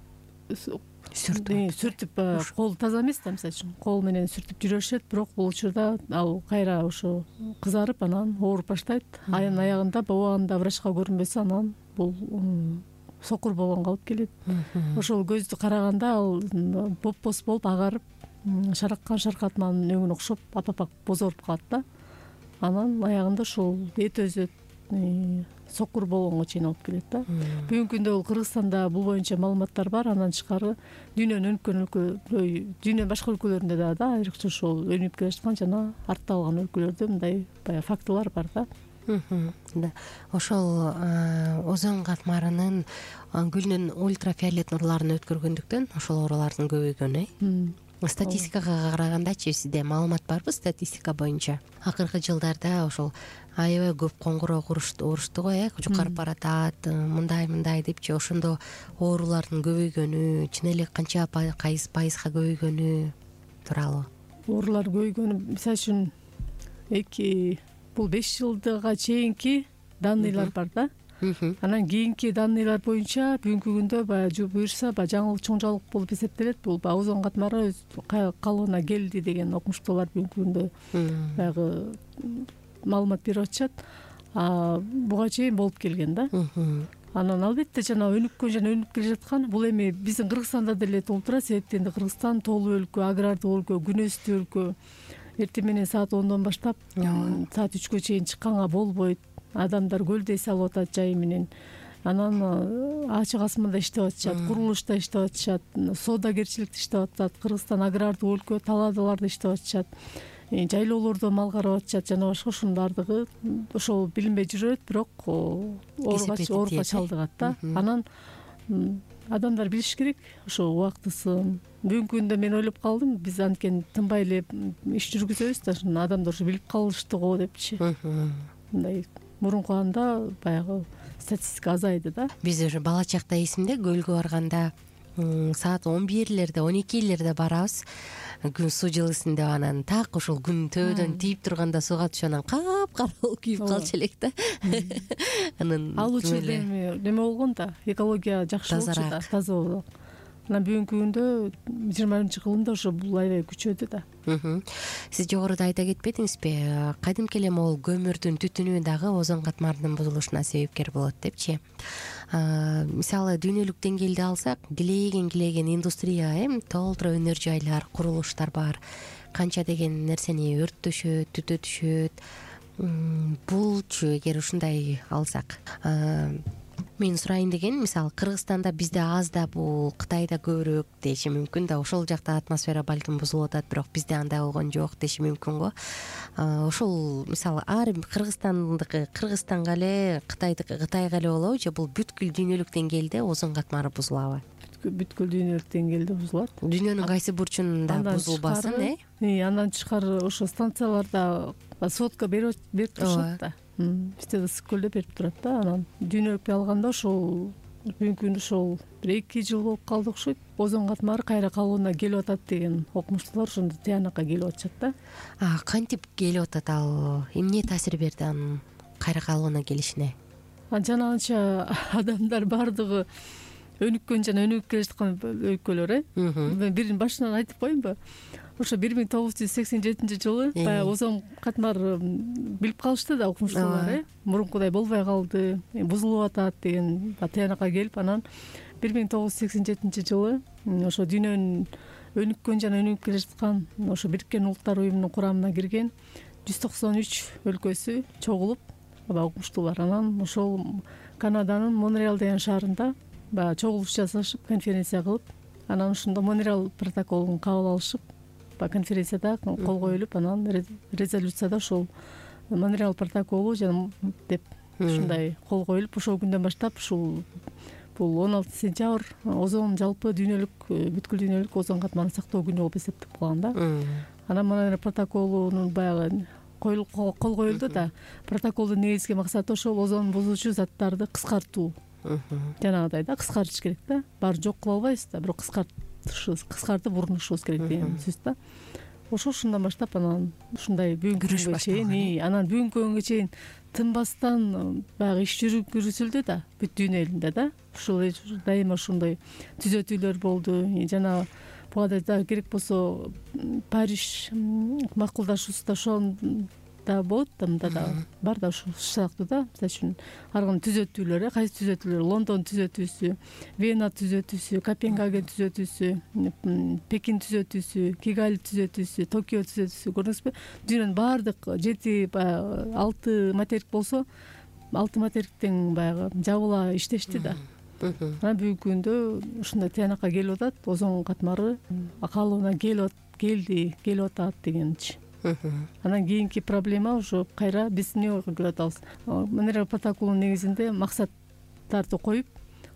сүртүп сүртүп кол таза эмес да, мисалы үчүн кол менен сүртүп жүрүшөт, бирок бул учурда ал кайра ошо кызарып анан ооруп баштайт. Айын аягында убагында врачка көрүнбөсө анан бул сокур болгонго алып келет. Ошол көздү караганда ал боп-боз болуп агарып, шараккан шаркатманын өңүнө окшоп апапак бозоруп калат да. Анан аягында ошол эт өзөт, сокур болгонго чейин алып келет да. Бүгүнкү күндө бул Кыргызстанда бул боюнча маалыматтар бар. Андан тышкары дүйнөнүн өнүккөн өлкө, дүйнөнүн башка өлкөлөрүндө дагы да айрыкча ошол өнүгүп келе жаткан жана артта калган өлкөлөрдө мындай баягы фактылар бар да. Ошол озон катмарынын күндүн ультрафиолет нурларын өткөргөндүктөн ошол оорулардын көбөйгөнү э? Статистикага карагандачы сизде маалымат барбы? Статистика боюнча акыркы жылдарда ошол аябай көп коңгуроо урушту го, э, жукарып баратат, мындай мындай депчи. Ошондо оорулардын көбөйгөнү, чын эле канча кайсы пайызга көбөйгөнү тууралуу? Оорулар көбөйгөнү мисалы үчүн эки бул беш жылдыга чейинки данныйлар бар да. Анан кийинки данныйлар боюнча бүгүнкү күндө баягы буюрса баягы жаңылык чоң жаңылык болуп эсептелет. Бул баягы озон катмары өз калыбына келди деген окумуштуулар бүгүнкү күндө баягы маалымат берип атышат. Буга чейин болуп келген да. Анан албетте жана өнүккөн жана өнүгүп келе жаткан бул эми биздин Кыргызстанда деле толуп турат. Себептен Кыргызстан тоолуу өлкө, агрардуу өлкө, күн өстүү өлкө. Эртең менен саат ондон баштап саат үчкө чейин чыкканга болбойт. Адамдар көлдөй салып атат жайы менен. Анан ачык асманда иштеп атышат, курулушта иштеп атышат, соодагерчиликте иштеп атышат. Кыргызстан агрардуу өлкө, талаадаларда иштеп атышат, жайлоолордо мал карап атышат жана башка. Ошонун баардыгы ошол билинбей жүрөт, бирок ооруга чалдыгат да. Анан адамдар билиш керек ошо убактысын. Бүгүнкү күндө мен ойлоп калдым, биз анткени тынбай эле иш жүргүзөбүз да, ошону адамдар ушу билип калышты го депчи. Мындай мурунку анда баягы статистика азайды да. Биз уже бала чакта эсимде көлгө барганда саат он бирлерде, он экилерде барабыз. Күн суу жылысын деп анан так ошол күн төбөдөн тийип турганда сууга түшүп анан капкара болуп күйүп калчу элек да. Анан ал учурда эми неме болгон да, экология жакшы болчу да, таза болду. Анан бүгүнкү күндө жыйырма биринчи кылымда ошо бул аябай күчөдү да. Сиз жогоруда айта кетпедиңизби, кадимки эле могул көмүрдүн түтүнү дагы озон катмарынын бузулушуна себепкер болот депчи. Мисалы дүйнөлүк деңгээлде алсак, килейген килейген индустрия, эми толтура өнөр жайлар, курулуштар бар. Канча деген нерсени өрттөшөт, түтөтүшөт. Булчу эгер ушундай алсак, мен сурайын деген, мисалы Кыргызстанда бизде аз да, бул Кытайда көбүрөөк деши мүмкүн да. Ошол жакта атмосфера балким бузулуп атат, бирок бизде андай болгон жок деши мүмкүн го. Ошол мисалы ар Кыргызстандыкы Кыргызстанга эле, Кытайдыкы Кытайга эле болобу же бул бүткүл дүйнөлүк деңгээлде озон катмары бузулабы? Бүткүл дүйнөлүк деңгээлде бузулат. Дүйнөнүн кайсы бурчунда бузулбасын, э? Андан тышкары ошо станцияларда сотка берип турушат да. Бизде да ысык-көлдө берип турат да. Анан дүйнөлүккө алганда ошол бүгүнкү күндө ошол бир эки жыл болуп калды окшойт. Озон катмары кайра калыбына келип атат деген окумуштуулар ошондо тыянакка келип атышат да. А кантип келип атат ал? Эмне таасир берди анын кайра калыбына келишине? Жана анча адамдар баардыгы өнүккөн жана өнүгүп келе жаткан өлкөлөр, э? Мен бирин башынан айтып коеюнбу? Ошо бир миң тогуз жүз сексен жетинчи жылы баягы озон катмары билип калышты да окумуштуулар, э? Мурункудай болбой калды, бузулуп атат деген тыянакка келип, анан бир миң тогуз жүз сексен жетинчи жылы ошо дүйнөнүн өнүккөн жана өнүгүп келе жаткан ошо Бириккен Улуттар уюмунун курамына кирген жүз токсон үч өлкөсү чогулуп, окумуштуулар анан ошол Канаданын Монреал деген шаарында баягы чогулуш жасашып, конференция кылып, анан ошондо Монреал протоколун кабыл алышып, конференцияда кол коюлуп, анан резолюцияда ошол Монреал протоколу жана деп ушундай кол коюлуп ошол күндөн баштап ушул бул он алтынчы сентябрь озон жалпы дүйнөлүк бүткүл дүйнөлүк озон катмарын сактоо күнү болуп эсептелип калган да. Анан мына протоколунун баягы кол коюлду да. Протоколдун негизги максаты ошол озон бузуучу заттарды кыскартуу. Жанагыдай да кыскартыш керек да. Баары жок кыла албайбыз да, бирок кыскартышыбыз, кыскартып урунушубуз керек деген сөз да. Ошо ушундан баштап анан ушундай бүгүнкү күнгө чейин, анан бүгүнкү күнгө чейин тынбастан баягы иш жүргүзүлдү да, бүт дүйнө элинде да. Ушул дайыма ушундай түзөтүүлөр болду. Жана буга да керек болсо Париж макулдашуусу ошол да болот да, мында да бар да ушул сыяктуу да. Мисалы үчүн ар кандай түзөтүүлөр, кайсы түзөтүүлөр, Лондон түзөтүүсү, Вена түзөтүүсү, Копенгаген түзөтүүсү, Пекин түзөтүүсү, Кигали түзөтүүсү, Токио түзөтүүсү, көрдүңүзбү? Дүйнөнүн баардык жети баягы алты материк болсо, алты материктен баягы жабыла иштешти да. Анан бүгүнкү күндө ушундай тыянакка келип атат, озон катмары калыбына келип келди, келип атат дегенчи. Анан кийинки проблема уже кайра биз эмне кылып атабыз? Монреаль протоколунун негизинде максаттарды коюп,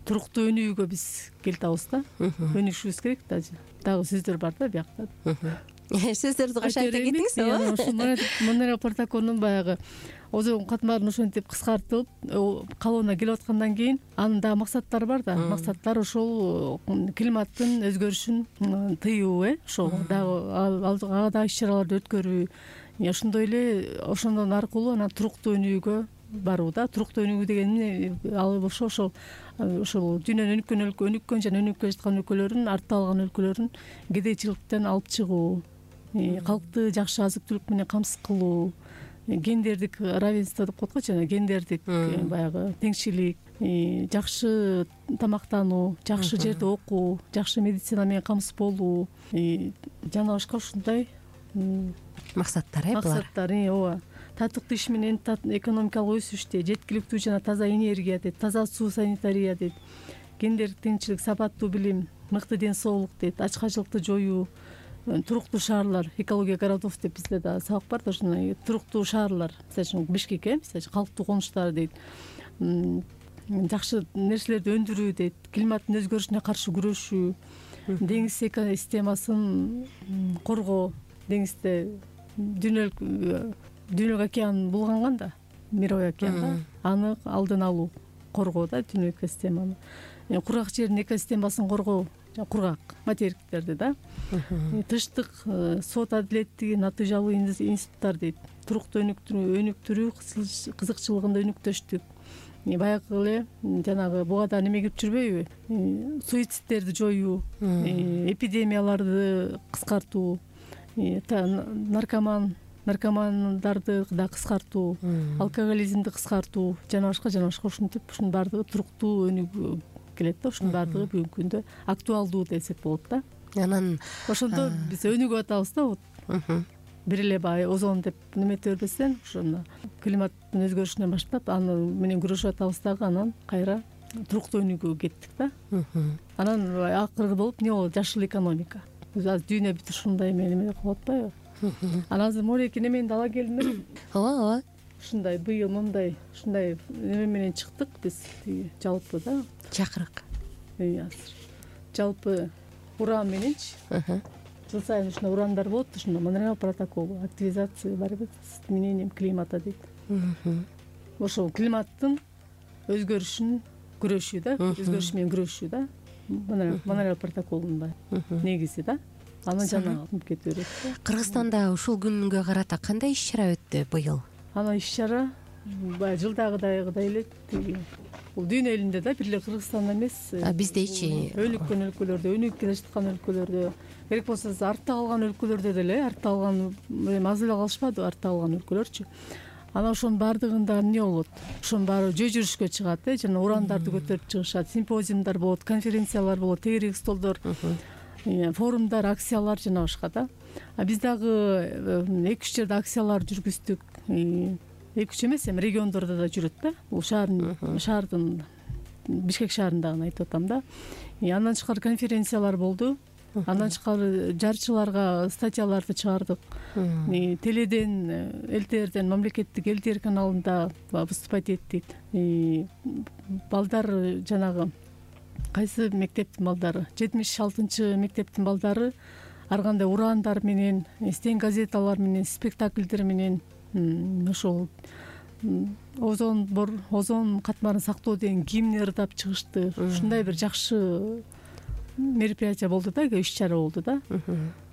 туруктуу өнүгүүгө биз келтабыз да. Өнүгүшүбүз керек да. Дагы сөздөр бар да биякта. Сөздөрдү кошо айта кетиңиз. Ошол Монреаль протоколунун баягы озон катмарын ошентип кыскартылып, калыбына келип аткандан кийин анын дагы максаттары бар да. Максаттар ошол климаттын өзгөрүшүн тыюу, э, ошол дагы ага дагы иш-чараларды өткөрүү. Ошондой эле ошондон аркылуу анан туруктуу өнүгүүгө баруу да. Туруктуу өнүгүү деген эмне? Ал ошо ошол ошол дүйнөнүн өнүккөн өлкө, өнүккөн жана өнүгүп келе жаткан өлкөлөрүн, артта калган өлкөлөрүн кедейчиликтен алып чыгуу, калкты жакшы азык түлүк менен камсыз кылуу, гендердик равенство деп коет го, жана гендердик баягы теңчилик, жакшы тамактануу, жакшы жерде окуу, жакшы медицина менен камсыз болуу, жана башка ушундай максаттар, э, булар. Максаттар, ооба. Татыктуу иш менен экономикалык өсүштө жеткиликтүү жана таза энергия дейт, таза суу, санитария дейт, гендердик теңчилик, сапаттуу билим, мыкты ден соолук дейт, ачкачылыкты жоюу, туруктуу шаарлар, экология городов деп бизде да сабак бар да, ушундай туруктуу шаарлар, мисалы үчүн Бишкек, э, мисалы үчүн калктуу конуштар дейт, жакшы нерселерди өндүрүү дейт, климаттын өзгөрүшүнө каршы күрөшүү, деңиз экосистемасын коргоо, деңизде дүйнөлүк дүйнөлүк океан булганган да, Мировой океан, аны алдын алуу, коргоо да дүйнөлүк экосистеманы. Кургак жердин экосистемасын коргоо, кургак материктерди да. Тыштык сот адилеттиги натыйжалуу институттар дейт, туруктуу өнүктүрүү, өнүктүрүү кызыкчылыгында өнүктөштүк. Баягы эле жанагы буга да неме кирип жүрбөйбү? Суицидтерди жоюу, эпидемияларды кыскартуу, наркоман наркомандарды да кыскартуу, алкоголизмди кыскартуу, жана башка жана башка ушинтип ушунун баардыгы туруктуу өнүгүү келет да. Ушунун баардыгы бүгүнкү күндө актуалдуу десек болот да. Анан ошондо биз өнүгүп атабыз да. Вот бир эле баягы озон деп неметип бербестен ошону климаттын өзгөрүшүнөн баштап аны менен күрөшүп атабыз дагы, анан кайра туруктуу өнүгүүгө кеттик да. Анан акыркы болуп эмне болот? Жашыл экономика. Азыр дүйнө бүт ушундай неме кылып атпайбы? Анан азыр Молеки немени ала келдим. Ооба, ооба. Ушундай быйыл мындай ушундай неме менен чыктык биз, жалпы да. Чакырык. Азыр жалпы уран мененчи. Жыл сайын ушундай урандар болот, ушундай Монреаль протоколу, активизация борьбы с изменением климата дейт. Ошол климаттын өзгөрүшүн күрөшүү да, өзгөрүш менен күрөшүү да. Монреаль протоколунун негизи да. Аны жана кете берет. Кыргызстанда ушул күнгө карата кандай иш-чара өттү быйыл? Ана иш-чара баягы жылдагыдай эле бул дүйнө элинде да, бир эле Кыргызстанда эмес, биздечи өнүккөн өлкөлөрдө, өнүгүп келе жаткан өлкөлөрдө, керек болсо артта калган өлкөлөрдө деле, артта калган эми аз эле калышпады, артта калган өлкөлөрчү. Анан ошонун баардыгында эмне болот? Ошонун баары жөө жүрүшкө чыгат, э, жана урандарды көтөрүп чыгышат, симпозиумдар болот, конференциялар болот, тегерек столдор, форумдар, акциялар жана башка да. А биз дагы эки үч жерде акциялар жүргүздүк. эки үч эмес, эми региондордо да жүрөт да. Бул шаардын шаардын Бишкек шаарындагын айтып атам да. Андан тышкары конференциялар болду. Андан тышкары жарчыларга статьяларды чыгардык. Теледен, ЛТРден, мамлекеттик ЛТР каналында выступать эттик. Балдар жанагы кайсы мектептин балдары, жетимиш алтынчы мектептин балдары ар кандай ураандар менен, стен газеталар менен, спектакльдер менен ошол озон бор озон катмарын сактоо деген гимн ырдап чыгышты. Ушундай бир жакшы мероприятие болду да, иш чара болду да.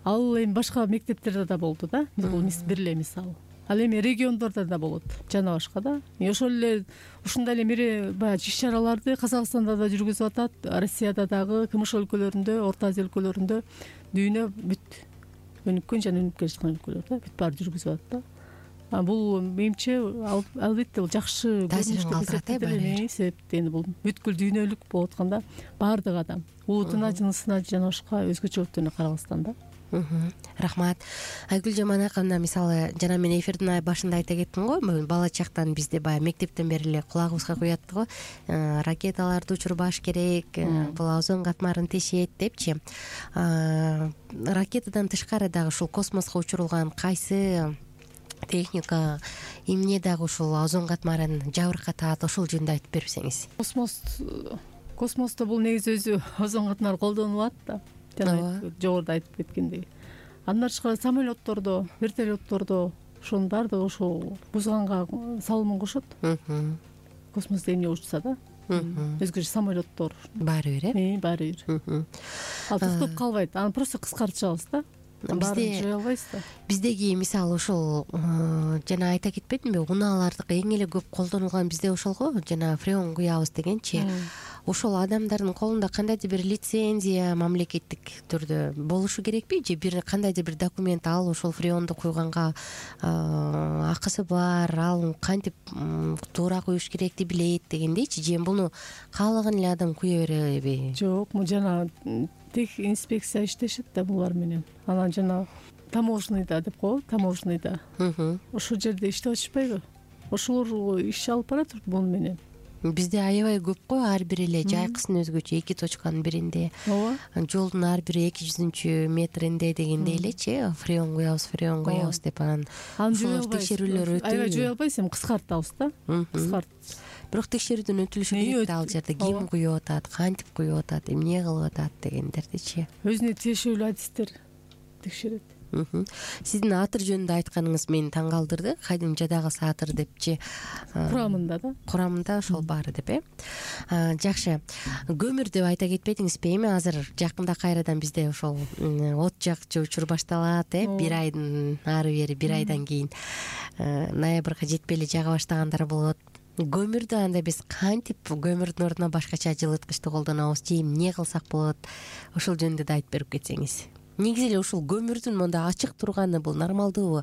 Ал эми башка мектептерде да болду да. Бул бир эле мисал. Ал эми региондордо да болот, жана башка да. Ошол эле ушундай эле мере баягы иш чараларды Казакстанда да жүргүзүп атат, Россияда дагы, КМШ өлкөлөрүндө, Орто Азия өлкөлөрүндө, дүйнө бүт өнүккөн жана өнүп келе жаткан өлкөлөрдө бүт баары жүргүзүп атат да. Бул менимче албетте бул жакшы таасирин калтырат э, себеп эми бул бүткүл дүйнөлүк болуп атканда баардык адам улутуна, жынысына жана башка өзгөчөлүктөрүнө карабастан да. Рахмат. Айгүл Жаманаковна, мисалы жана мен эфирдин башында айта кеттим го, бала чактан бизде баягы мектептен бери эле кулагыбызга куятты го, ракеталарды учурбаш керек, бул озон катмарын тешет депчи. Ракетадан тышкары дагы ушул космоско учурулган кайсы техника, эмне дагы ушул озон катмарын жабыркатат, ошол жөнүндө айтып берсеңиз. Космос космосто бул негизи өзү озон катмары колдонулат да. Жана жогоруда айтып кеткендей. Андан тышкары самолеттордо, вертолеттордо ошонун баардыгы ошол бузганга салымын кошот. Космосто эмне учса да. Өзгөчө самолеттор баары бир э? Баары бир. Ал токтоп калбайт, аны просто кыскартышабыз да. Баарын жое албайсыз да. Биздеги мисалы ошол жана айта кетпедимби, унаалардык эң эле көп колдонулган бизде ошол го, жана фреон куябыз дегенчи. Ошол адамдардын колунда кандайдыр бир лицензия мамлекеттик түрдө болушу керекпи, же бир кандайдыр бир документ ал ошол фреонду куйганга акысы бар, ал кантип туура куюш керекти билет дегендейчи, же буну каалаган эле адам куя береби? Жок, му жана тех инспекция иштешет да булар менен. Анан жана таможныйда деп коебу, таможныйда. Ошол жерде иштеп атышпайбы? Ошолор иш алып барат буну менен. Бизде аябай көп го, ар бир эле жайкысын өзгөчө, эки точканын биринде. Ооба. Жолдун ар бир эки жүзүнчү метринде дегендей элечи, фреон куябыз, фреон куябыз деп анан ошол текшерүүлөр өтүү. Аябай жое албайсыз, эми кыскартабыз да. Кыскарт. Бирок текшерүүдөн өтүлүшү керек да, ал жерде ким куюп атат, кантип куюп атат, эмне кылып атат дегендердичи. Өзүнө тиешелүү адистер текшерет. Сиздин Атыр жөнүндө айтканыңыз мени таң калтырды. Кайдымчадагы Атыр депчи. Курамында да. Курамында ошол баары деп э. Жакшы. Көмүр деп айта кетпедиңизби? Эми азыр жакында кайрадан бизде ошол от жакчы учур башталат э. Бир айдын ары бери, бир айдан кийин ноябрга жетпей эле жага баштагандар болот. Көмүрдү анда биз кантип көмүрдүн ордуна башкача жылыткычты колдонобуз, же эмне кылсак болот? Ошол жөнүндө да айтып берип кетсеңиз. Негизи эле ушул көмүрдүн монда ачык турганы бул нормалдуубу?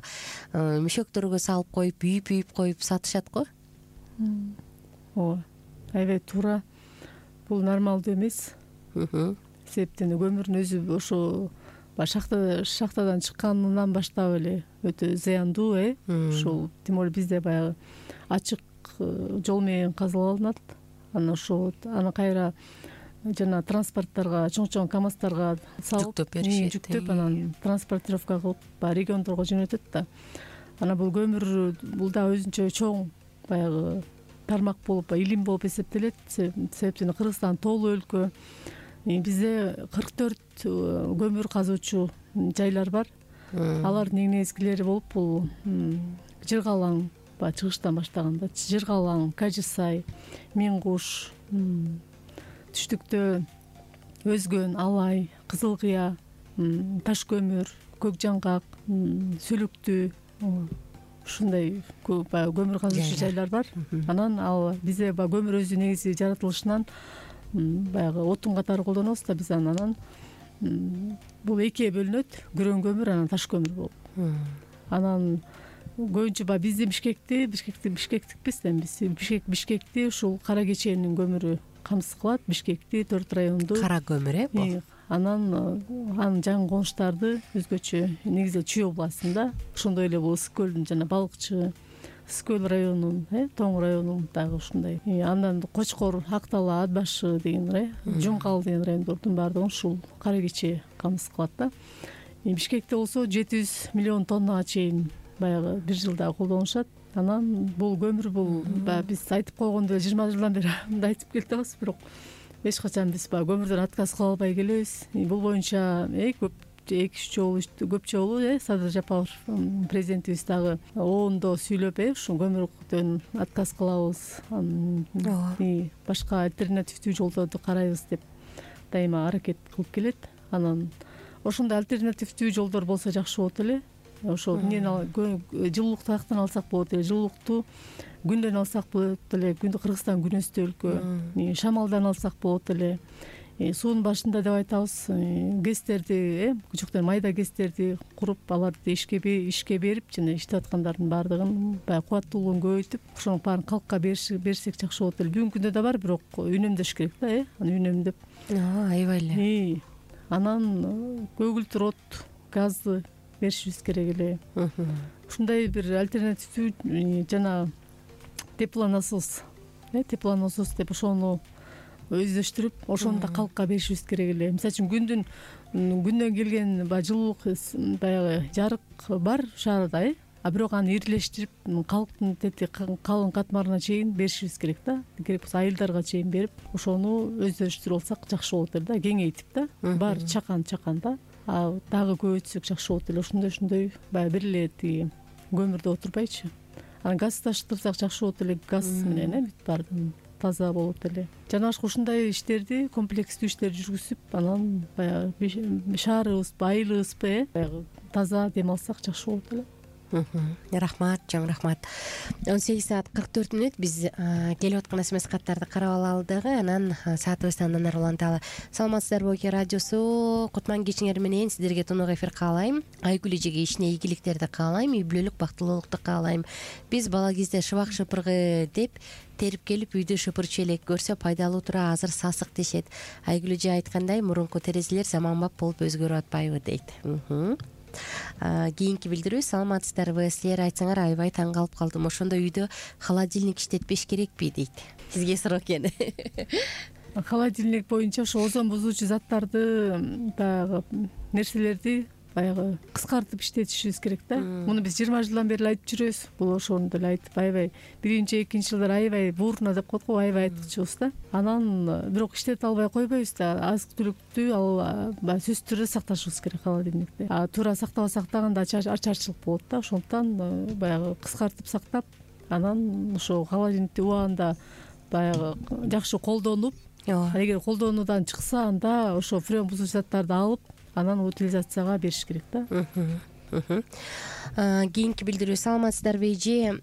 Мешөктөргө салып коюп, үйүп-үйүп коюп сатышат го. Ооба. Аябай туура. Бул нормалдуу эмес. Себептен көмүрдүн өзү ошо шахта шахтадан чыкканынан баштап эле өтө зыяндуу э. Ушул тем более бизде баягы ачык жол менен казыланат. Анан ошо аны кайра жана транспорттарга, чоң-чоң КАМАЗтарга салып, жүктөп беришет. Жүктөп анан транспортировка кылып, баягы региондорго жөнөтөт да. Анан бул көмүр бул да өзүнчө чоң баягы тармак болуп, илим болуп эсептелет. Себептен Кыргызстан тоолуу өлкө. Бизде кырк төрт көмүр казуучу жайлар бар. Алардын эң негизгилери болуп бул Жыргалаң, баягы чыгыштан баштаганда Жыргалаң, Кажы Сай, Миң Куш, түштүктө Өзгөн, Алай, Кызыл Кыя, Таш көмүр, Көк Жаңгак, Сүлүктүү, ушундай баягы көмүр казуучу жайлар бар. Анан ал бизде баягы көмүр өзү негизи жаратылышынан баягы отун катары колдонобуз да биз анан бул экиге бөлүнөт, күрөң көмүр анан таш көмүр болуп. Анан көбүнчө баягы бизди Бишкекти, Бишкекти Бишкектикпиз да биз. Бишкек Бишкекти ушул Кара кеченин көмүрү камсыз кылат. Бишкекти, төрт районду. Кара көмүр э бул. Анан анын жаңы конуштарды өзгөчө негизи Чүй областында, ошондой эле бул Ысык көлдүн жана Балыкчы, Скөл районунун э Тоң районунун дагы ушундай. Андан Кочкор, Ак Дала, Ат башы деген э Жумкал деген райондордун баардыгын ушул кара кече камсыз кылат да. Бишкекте болсо жети жүз миллион тоннага чейин баягы бир жылда колдонушат. Анан бул көмүр бул баягы биз айтып койгондой жыйырма жылдан бери мындай айтып келатабыз, бирок эч качан биз баягы көмүрдөн отказ кыла албай келебиз. Бул боюнча э көп эки үч жолу көп жолу э Садыр Жапаров президентибиз дагы оондо сүйлөп э ушу көмүрдөн отказ кылабыз, башка альтернативдүү жолдорду карайбыз деп дайыма аракет кылып келет. Анан ошондой альтернативдүү жолдор болсо жакшы болот эле. Ошо эмнени жылуулукту аяктан алсак болот эле, жылуулукту күндөн алсак болот эле. Кыргызстан күн өстү өлкө. Шамалдан алсак болот эле. Суунун башында деп айтабыз, гэстерди э жокто майда гэстерди куруп, аларды ишке ишке берип, жана иштеп аткандардын баардыгын баягы кубаттуулугун көбөйтүп, ошонун баарын калкка берсек жакшы болот эле. Бүгүнкү күндө да бар, бирок үнөмдөш керек да э аны үнөмдөп. Аябай эле. Анан көгүлтүр от, газды беришибиз керек эле. Ушундай бир альтернативдүү жана теплонасос, э теплонасос деп ошону өздөштүрүп, ошону да калкка беришибиз керек эле. Мисалы үчүн күндүн күндөн келген баягы жылуулук баягы жарык бар шаарда э, а бирок аны ирилештирип, калктын тети калың катмарына чейин беришибиз керек да. Керек болсо айылдарга чейин берип, ошону өздөштүрүп алсак жакшы болот эле да, кеңейтип да. Бар чакан чакан да. А дагы көбөйтсөк жакшы болот эле. Ошондой ошондой баягы бир эле тиги көмүрдө отурбайчы. Анан газ таштырсак жакшы болот эле. Газ менен э бүт баардыгы таза болот эле. Жана башка ушундай иштерди, комплекстүү иштер жүргүзүп, анан баягы шаарыбызбы, айылыбызбы э баягы таза дем алсак жакшы болот эле. Рахмат, чоң рахмат. он сегиз саат кырк төрт мүнөт биз келип аткан смс каттарды карап алалы дагы, анан саатыбызды андан ары уланталы. Саламатсыздарбы Оке радиосу, Кутман кечиңер менен сиздерге тунук эфир каалайм. Айгүл эжеге ишине ийгиликтерди каалайм, үй бүлөлүк бактылуулукту каалайм. Биз бала кезде шыбак шыпыргы деп терип келип үйдө шыпырчу элек, көрсө пайдалуу тура, азыр сасык дешет. Айгүл эже айткандай, мурунку терезелер заманбап болуп өзгөрүп атпайбы дейт. Кийинки билдирүү: саламатсыздарбы, силер айтсаңар аябай таң калып калдым. Ошондо үйдө холодильник иштетпеш керекпи дейт. Сизге суроо экен. Холодильник боюнча ошо озон бузуучу заттарды, баягы нерселерди баягы кыскартып иштетишибиз керек да. Муну биз жыйырма жылдан бери айтып жүрөбүз. Бул ошону деле айтып аябай биринчи, экинчи жылдары аябай бурно деп коет го, аябай айтчубуз да. Анан бирок иштете албай койбойбуз да. Азык түлүктү ал баягы сөзсүз түрдө сакташыбыз керек холодильникте. А туура сактабасак дагы ачарчылык болот да. Ошондуктан баягы кыскартып сактап, анан ошо холодильникти убагында баягы жакшы колдонуп, эгер колдонуудан чыкса, анда ошо фреон бузуучу заттарды алып, анан утилизацияга бериш керек да. Кийинки билдирүү: саламатсыздарбы эже,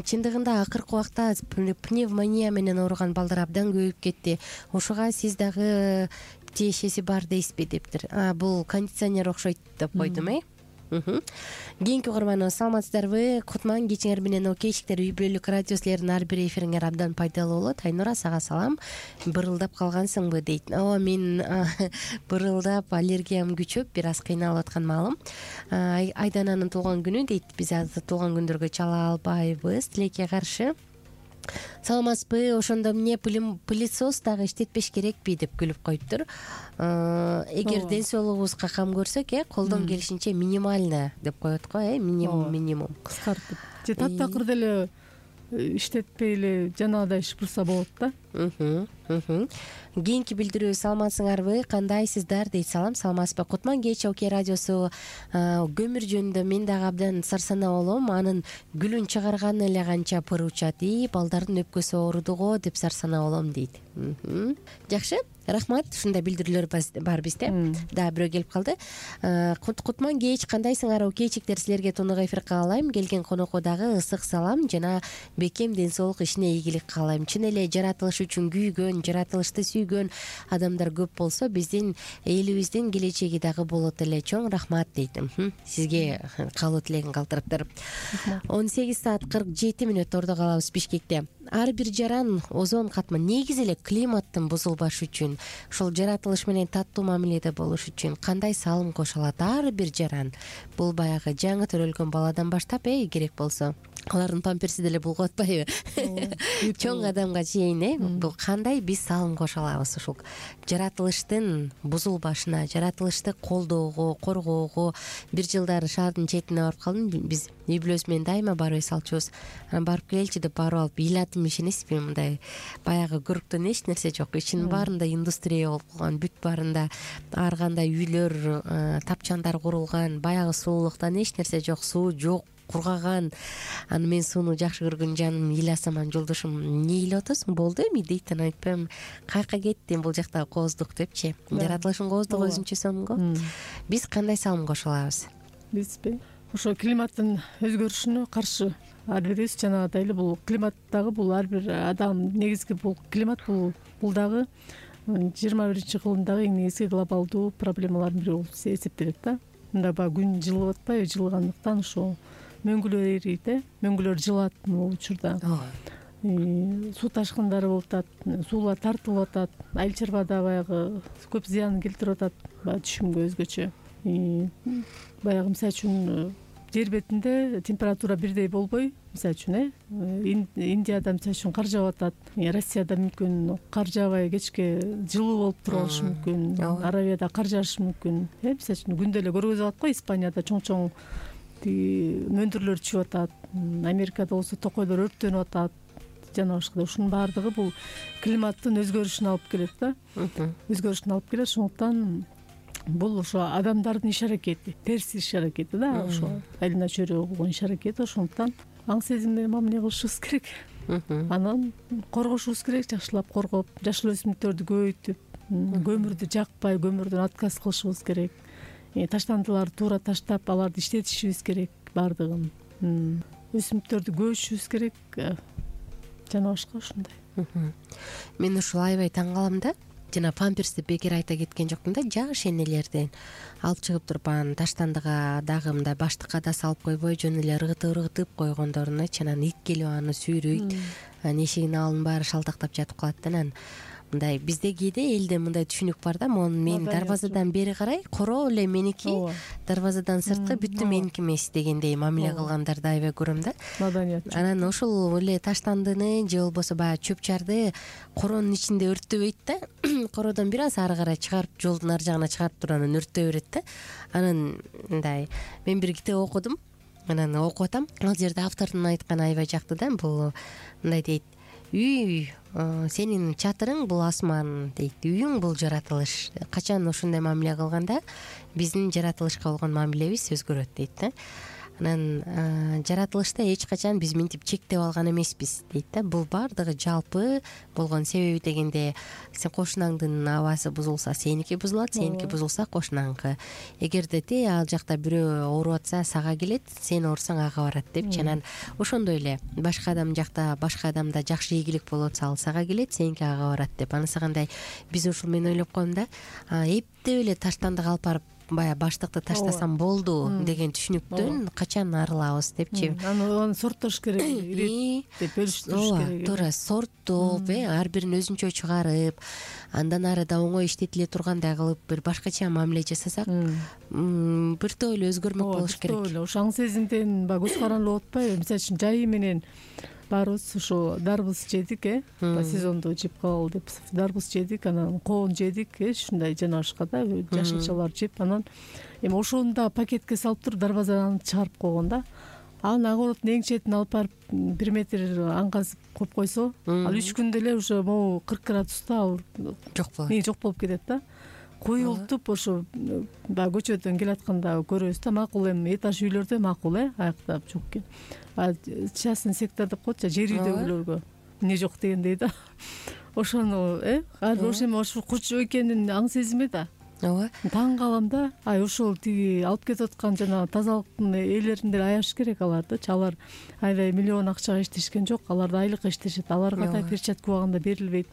чындыгында акыркы убакта пневмония менен ооруган балдар абдан көбөйүп кетти. Ошого сиз дагы тиешеси бар дейсизби дептир. Бул кондиционер окшойт деп койдум э. Кийинки угарманыбыз: саламатсыздарбы, Кутман кечиңер менен Оке эшиктер үй бүлөлүк радио силердин ар бир эфириңер абдан пайдалуу болот. Айнура, сага салам. Бырылдап калгансыңбы дейт. Ооба, мен бырылдап, аллергиям күчөп, бир аз кыйналып аткан маалым. Айдананын туулган күнү дейт. Биз азыр туулган күндөргө чала албайбыз, тилекке каршы. Саламатсызбы, ошондо эмне пылесос дагы иштетпеш керекпи деп күлүп коюптур. Эгер ден соолугубузга кам көрсөк, э, колдон келишинче минимально деп коет го, э, минимум минимум кыскартып. Же таптакыр деле иштетпей эле жанагыдай шыпырса болот да. Кийинки билдирүү: саламатсыңарбы, кандайсыздар дейт. Салам, саламатсызбы. Кутман кеч Оке радиосу, көмүр жөнүндө мен дагы абдан сарсанаа болом. Анын гүлүн чыгарганы эле канча пыр учат, и балдардын өпкөсү ооруду го деп сарсанаа болом дейт. Жакшы, рахмат. Ушундай билдирүүлөр бар бизде. Дагы бирөө келип калды. Кутман кеч, кандайсыңар Оке эшиктер, силерге тунук эфир каалайм. Келген конокко дагы ысык салам жана бекем ден соолук, ишине ийгилик каалайм. Чын эле жаратылыш үчүн күйгөн, жаратылышты сүйгөн адамдар көп болсо, биздин элибиздин келечеги дагы болот эле. Чоң рахмат дейт. Сизге каалоо тилегин калтырыптыр. он сегиз саат кырк жети мүнөт ордо калабыз Бишкекте. Ар бир жаран озон катман негизи эле климаттын бузулбашы үчүн, ошол жаратылыш менен таттуу мамиледе болуш үчүн кандай салым кошо алат ар бир жаран? Бул баягы жаңы төрөлгөн баладан баштап, э, керек болсо алардын памперси деле булгап атпайбы чоң адамга чейин э бул кандай биз салым кошо алабыз ушул жаратылыштын бузулбашына, жаратылышты колдоого, коргоого. Бир жылдары шаардын четине барып калдым. Биз үй бүлөсү менен дайыма барып эс алчубуз. Анан барып келчи деп барып алып ыйлатым, ишенесизби, мындай баягы көрктөн эч нерсе жок. Ичинин баарында индустрия болуп калган, бүт баарында ар кандай үйлөр, тапчандар курулган, баягы сулуулуктан эч нерсе жок, суу жок, кургаган. Аны мен сууну жакшы көргөн жаным ыйласам, анан жолдошум эмне ыйлап атасың, болду эми дейт. Анан айтпайм, каяка кеттим, бул жакта кооздук депчи. Жаратылыштын кооздугу өзүнчө сонун го. Биз кандай салым кошо алабыз? Бизби ошо климаттын өзгөрүшүнө каршы ар бирибиз жанагыдай эле бул климат дагы бул ар бир адам негизги бул климат бул бул дагы жыйырма биринчи кылымдагы эң негизги глобалдуу проблемалардын бири болуп эсептелет да. Мында баягы күн жылып атпайбы, жылгандыктан ошо мөңгүлөр эрийт э, мөңгүлөр жылат бул учурда. Суу ташкындары болуп атат, суулар тартылып атат, айыл чарбада баягы көп зыянын келтирип атат, баягы түшүмгө өзгөчө. Баягы мисалы үчүн жер бетинде температура бирдей болбой, мисалы үчүн э Индияда мисалы үчүн кар жаап атат, Россияда мүмкүн кар жаабай кечке жылуу болуп туруп алышы мүмкүн, Аравияда кар жаашы мүмкүн э мисалы үчүн күндө эле көргөзүп атат го. Испанияда чоң-чоң мөндүрлөр чыгып атат, Америкада болсо токойлор өрттөнүп атат, жана башка. Ушунун баардыгы бул климаттын өзгөрүшүнө алып келет да, өзгөрүшүнө алып келет. Ошондуктан бул ошо адамдардын иш аракети, терс иш аракети да, ошо айылына чөйрө болгон иш аракети. Ошондуктан аң сезим менен мамиле кылышыбыз керек. Анан коргошубуз керек, жакшылап коргоп, жашыл өсүмдүктөрдү көбөйтүп, көмүрдү жакпай, көмүрдөн отказ кылышыбыз керек. Таштандыларды туура таштап, аларды иштетишибиз керек баардыгын. Өсүмдүктөрдү көбөйтүшүбүз керек, жана башка ушундай. Мен ушул аябай таң калам да. Жана памперсти бекер айта кеткен жокмун да. Жаш энелерден алып чыгып туруп анан таштандыга дагы мындай баштыкка да салып койбой, жөн эле ыргытып ыргытып койгондорунчу. Анан ит келип аны сүйрөйт, анан эшигинин алдын баары шалтактап жатып калат да. Анан мындай бизде кээде элде мындай түшүнүк бар да, могу мен дарбазадан бери карай короо эле меники, дарбазадан сырткы бүттү меники эмес дегендей мамиле кылгандарды аябай көрөм да. Маданият. Анан ошол эле таштандыны же болбосо баягы чөп чарды коронун ичинде өрттөбөйт да. Кородон бир аз ары карай чыгарып, жолдун ар жагына чыгарып туруп анан өрттөй берет да. Анан мындай мен бир китеп окудум, анан окуп атам. Ал жерде автордун айтканы аябай жакты да. Бул мындай дейт: үй сенин чатырың бул асман дейт, үйүң бул жаратылыш. Качан ушундай мамиле кылганда биздин жаратылышка болгон мамилебиз өзгөрөт дейт да. Анан жаратылышта эч качан биз мынтип чектеп алган эмеспиз дейт да. Бул баардыгы жалпы болгон. Себеби дегенде сен кошунаңдын абасы бузулса, сеники бузулат, сеники бузулса кошунаңкы. Эгерде те ал жакта бирөө ооруп атса сага келет, сен оорусаң ага барат депчи. Анан ошондой эле башка адам жакта башка адамда жакшы ийгилик болуп атса ал сага келет, сеники ага барат деп. Анысы кандай биз ушул мен ойлоп коем да, эптеп эле таштандык алып барып баягы баштыкты таштасам болду деген түшүнүктөн качан арылабыз депчи. Аны сорттош керек, деп бөлүштүрүш керек. Туура сорттоп, э ар бирин өзүнчө чыгарып, андан ары да оңой иштетиле тургандай кылып бир башкача мамиле жасасак, бир топ эле өзгөрмөк болуш керек. Ошо аң сезимден баягы көз каранды болуп атпайбы? Мисалы үчүн жайы менен баарыбыз ошо дарбыз жедик, э сезонду жеп калалы деп дарбыз жедик, анан коон жедик, э ушундай жана башка да жашылчалар жеп, анан эми ошону да пакетке салып туруп дарбазадан чыгарып койгон да. Анан огороддун эң четине алып барып бир метр аң казып коюп койсо, ал үч күндө эле уже могу кырк градуста ал жок болот. Не жок болуп кетет да. Коюлтуп ошо баягы көчөдөн келатканда көрөбүз да. Макул эми этаж үйлөрдө макул, э аяктап жок экен. А частный сектор деп коет, жер үйдөгүлөргө эмне жок дегендей да. Ошону э ар ошо эми ошо курчу экенин аң сезими да. Ооба. Таң калам да. Ай ошол тиги алып кетип аткан жана тазалыктын ээлерин деле аяш керек алардычы. Алар аябай миллион акчага иштешкен жок, алар да айлыкка иштешет. Аларга да перчатка убагында берилбейт.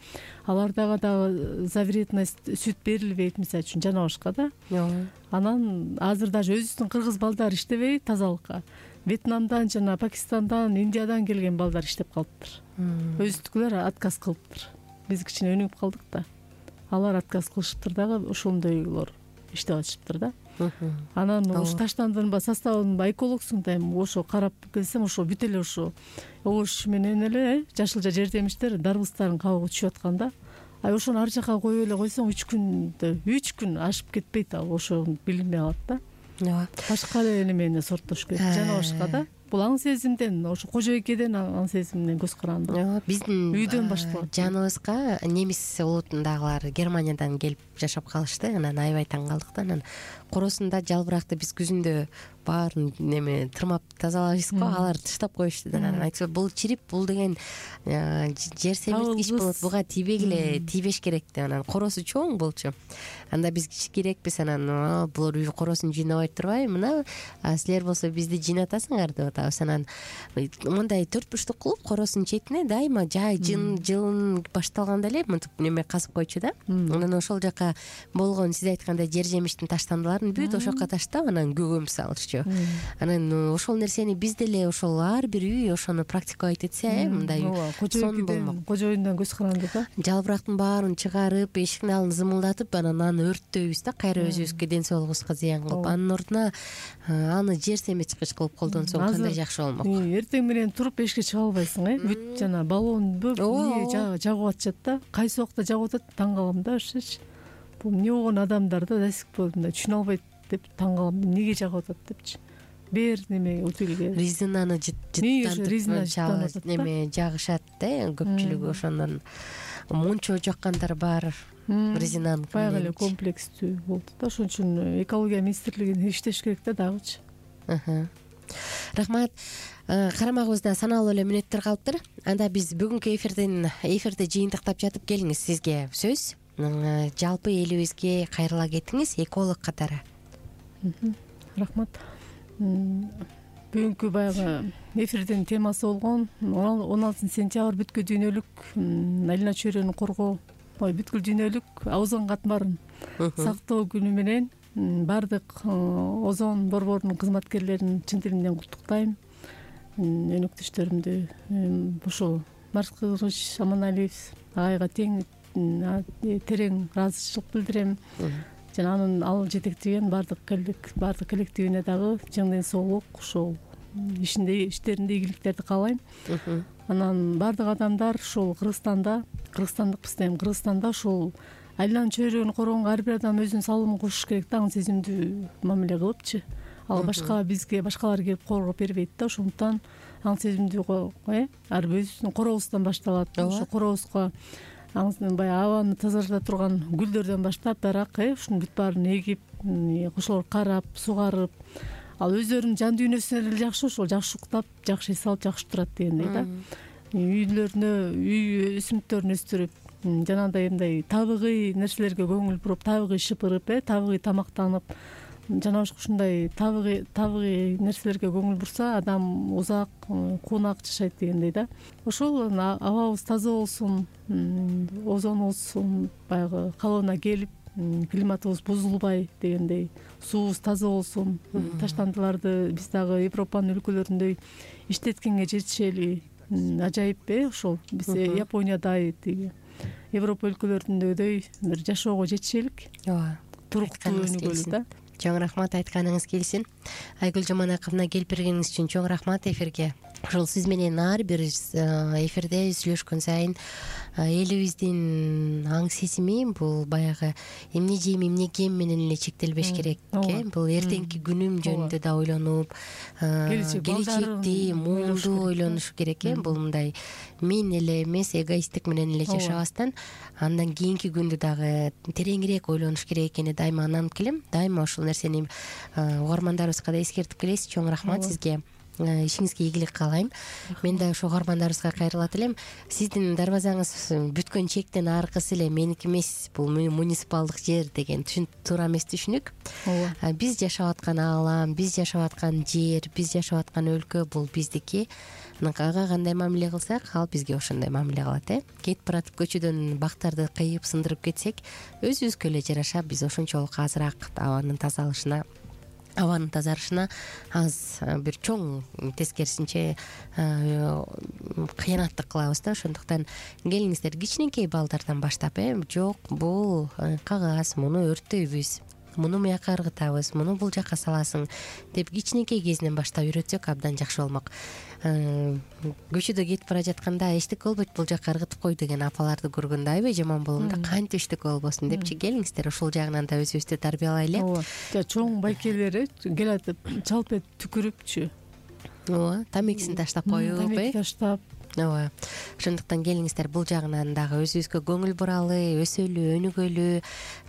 Алардага дагы за вредность сүт берилбейт, мисалы үчүн жана башка да. Анан азыр даже өзүбүздүн кыргыз балдар иштебей тазалыкка. Вьетнамдан жана Пакистандан, Индиядан келген балдар иштеп калыптыр. Өзүдүкүлөр отказ кылыптыр. Биз кичине өнүгүп калдык да. Алар отказ кылышыптыр дагы, ошондойлор иштеп атышыптыр да. анан ошо таштандынба составынба экологсуң да эми ошо карап келсем ошо бүт эле ошо овощ менен эле жашылча жер жемиштер дарбыздардын кабыгы түшүп аткан да. А ошону ар жака коюп эле койсоң үч күндө үч күн ашып кетпейт, ал ошону билинбей калат да. Ооба. Башка эле немене сорттош керек, жана башка да. Бул аң сезимден, ошо кожойкеден аң сезимден көз каранды. Ооба, биздин үйдөн башталат. Жаныбызга немис улутундагылар Германиядан келип жашап калышты. Анан аябай таң калдык да. Анан коросунда жалбыракты биз күзүндө баарын неме тырмап тазалайбыз го, алар таштап коюшту да. Анан айтышат, бул чирип, бул деген жер семирткич болот, буга тийбегиле, тийбеш керек деп. Анан коросу чоң болчу. Анда биз кичкирекпиз, анан булар үй коросун жыйнабай турбайбы, мына силер болсо бизди жыйнатасыңар деп атабыз. Анан мындай төрт бурчтук кылып коросунун четине дайыма жай жын жылын башталганда эле мынтип неме казып койчу да. Анан ошол жака болгон сиз айткандай жер жемиштин таштандыларын бүт ошол жака таштап, анан көгөм салышчу. Анан ошол нерсени биз деле ошол ар бир үй ошону практикалайт этсе, мындай сон болмок. Кожоюндан көз каранды да. Жалбырактын баарын чыгарып, эшиктин алдын зымылдатып, анан аны өрттөйбүз да, кайра өзүбүзгө ден соолугубузга зыян кылып. Анын ордуна аны жер семирткич кылып колдонсоң кандай жакшы болмок. Эртең менен туруп эшикке чыга албайсың, э? Бүт жана баллон бүт жагып атышат да. Кайсы убакта жагып атат, таң калам да ошочу. Бул эмне болгон адамдар да, до сих пор мындай түшүнө албайт деп таң калам. Эмнеге жагып атат депчи. Бир неме утилге резинаны жыттантып неме жагышат да, көпчүлүгү ошондон мончо жаккандар бар. Резинаны баягы эле комплекстүү болду да. Ошон үчүн экология министрлигине иштеш керек да дагычы. Рахмат. Карамагыбызда саналуу эле мүнөттөр калыптыр. Анда биз бүгүнкү эфирдин эфирди жыйынтыктап жатып келиңиз, сизге сөз. Жалпы элибизге кайрыла кетиңиз эколог катары. Рахмат. Бүгүнкү баягы эфирдин темасы болгон он алтынчы сентябрь бүткүл дүйнөлүк айлана чөйрөнү коргоо, бүткүл дүйнөлүк озон катмарын сактоо күнү менен баардык озон борборунун кызматкерлерин чын дилимден куттуктайм. Өнөктөштөрүмдү ушул Маркыч Аманалиев агайга тең терең ыраазычылык билдирем. Жана анын ал жетектеген баардык баардык коллективине дагы чың ден соолук, ушул ишинде иштеринде ийгиликтерди каалайм. Анан баардык адамдар ушул Кыргызстанда, кыргызстандыкпыз дейм, Кыргызстанда ушул айлана чөйрөгүн коргонго ар бир адам өзүнүн салымын кошуш керек да, аң сезимдүү мамиле кылыпчы. Ал башка бизге башкалар келип коргоп бербейт да, ошондуктан аң сезимдүү э ар бирибиздин коробуздан башталат. Ошо коробузга баягы абаны тазалата турган гүлдөрдөн баштап, дарак э ушунун бүт баарын эгип, ошолорду карап, сугарып, ал өздөрүнүн жан дүйнөсүнө эле жакшы, ошол жакшы уктап, жакшы эс алып, жакшы турат дегендей да. Үйлөрүнө, үй өсүмдүктөрүн өстүрүп, жанагындай мындай табигый нерселерге көңүл буруп, табигый шыпырып, э табигый тамактанып, жана ушундай табигый табигый нерселерге көңүл бурса, адам узак, куунак жашайт дегендей да. Ошол абабыз таза болсун, озонубуз баягы калыбына келип, климатыбыз бузулбай дегендей, суубуз таза болсун, таштандыларды биз дагы Европанын өлкөлөрүндөй иштеткенге жетишели. Ажайып э ошол биз Япониядай тиги Европа өлкөлөрүндөй бир жашоого жетишелик. Ооба. Туруктуу өнүгөлү да. Чоң рахмат, айтканыңыз келсин. Айгүл Жаманаковна келип бергениңиз үчүн чоң рахмат эфирге. Ошол сиз менен ар бир эфирде сүйлөшкөн сайын элибиздин аң сезими бул баягы эмне жейм, эмне кийем менен эле чектелбеш керек э. Бул эртеңки күнүм жөнүндө да ойлонуп, келечекти, муунду ойлонуш керек э. Бул мындай мен эле эмес, эгоисттик менен эле жашабастан, андан кийинки күндү дагы тереңирээк ойлонуш керек экени дайыма ананып келем. Дайыма ушул нерсени угармандарыбызга да эскертип келесиз. Чоң рахмат сизге. Ишиңизге ийгилик каалайм. Мен да ошо угармандарыбызга кайрылат элем. Сиздин дарбазаңыз бүткөн чектен аркысы эле меники эмес, бул муниципалдык жер деген туура эмес түшүнүк. Биз жашап аткан аалам, биз жашап аткан жер, биз жашап аткан өлкө бул биздики. Ага кандай мамиле кылсак, ал бизге ошондой мамиле кылат э. Кетип баратып көчөдөн бактарды кыйып, сындырып кетсек, өзүбүзгө эле жараша биз ошончолук азыраак абанын тазалышына абанын тазарышына аз бир чоң тескерисинче кыянаттык кылабыз да. Ошондуктан келиңиздер кичинекей балдардан баштап э жок бул кагаз, муну өрттөйбүз, муну муяка ыргытабыз, муну бул жака саласың деп кичинекей кезинен баштап үйрөтсөк абдан жакшы болмок. Көчөдө кетип бара жатканда эчтеке болбойт, бул жака ыргытып кой деген апаларды көргөндө аябай жаман болгондо кантип эчтеке болбосун депчи, келиңиздер ушул жагынан да өзүбүздү тарбиялайлы. ооба, чоң байкелер келатып чалп этип түкүрүпчү. ооба, тамекисин таштап коюп, тамеки таштап. ооба. Ошондуктан келиңиздер бул жагынан дагы өзүбүзгө көңүл буралы, өсөлү, өнүгөлү,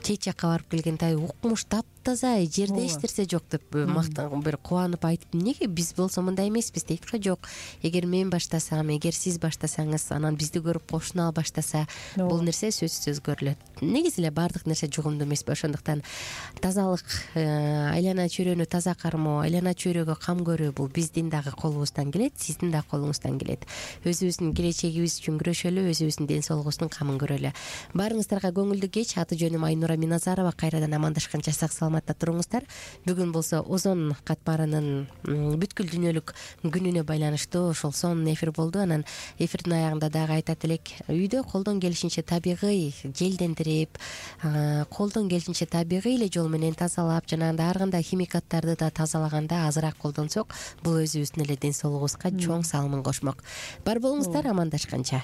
чет жакка барып келгенде укмуш таптаза, жерде эч нерсе жок деп мактан бир кубанып айтып, эмнеге биз болсо мындай эмеспиз дейт го. Жок, эгер мен баштасам, эгер сиз баштасаңыз, анан бизди көрүп кошуна баштаса, бул нерсе сөзсүз өзгөрүлөт. Негизи эле баардык нерсе жугумдуу эмеспи. Ошондуктан тазалык, айлана чөйрөнү таза кармоо, айлана чөйрөгө кам көрүү бул биздин дагы колубуздан келет, сиздин дагы колуңуздан келет. Өзүбүздүн келечегибиз үчүн күрөшөлү, өзүбүздүн ден соолугубуздун камын көрөлү. Баарыңыздарга көңүлдүү кеч. Аты жөнүм Айнура Миназарова. Кайрадан амандашканча сак саламатта туруңуздар. Бүгүн болсо озон катмарынын бүткүл дүйнөлүк күнүнө байланыштуу ошол сонун эфир болду. Анан эфирдин аягында дагы айтат элек, үйдө колдон келишинче табигый желдендирип, колдон келишинче табигый эле жол менен тазалап, жанагындай ар кандай химикаттарды да тазалаганда азыраак колдонсок, бул өзүбүздүн эле ден соолугубузга чоң салымын кошмок. Бар болуңуздар, амандашканча.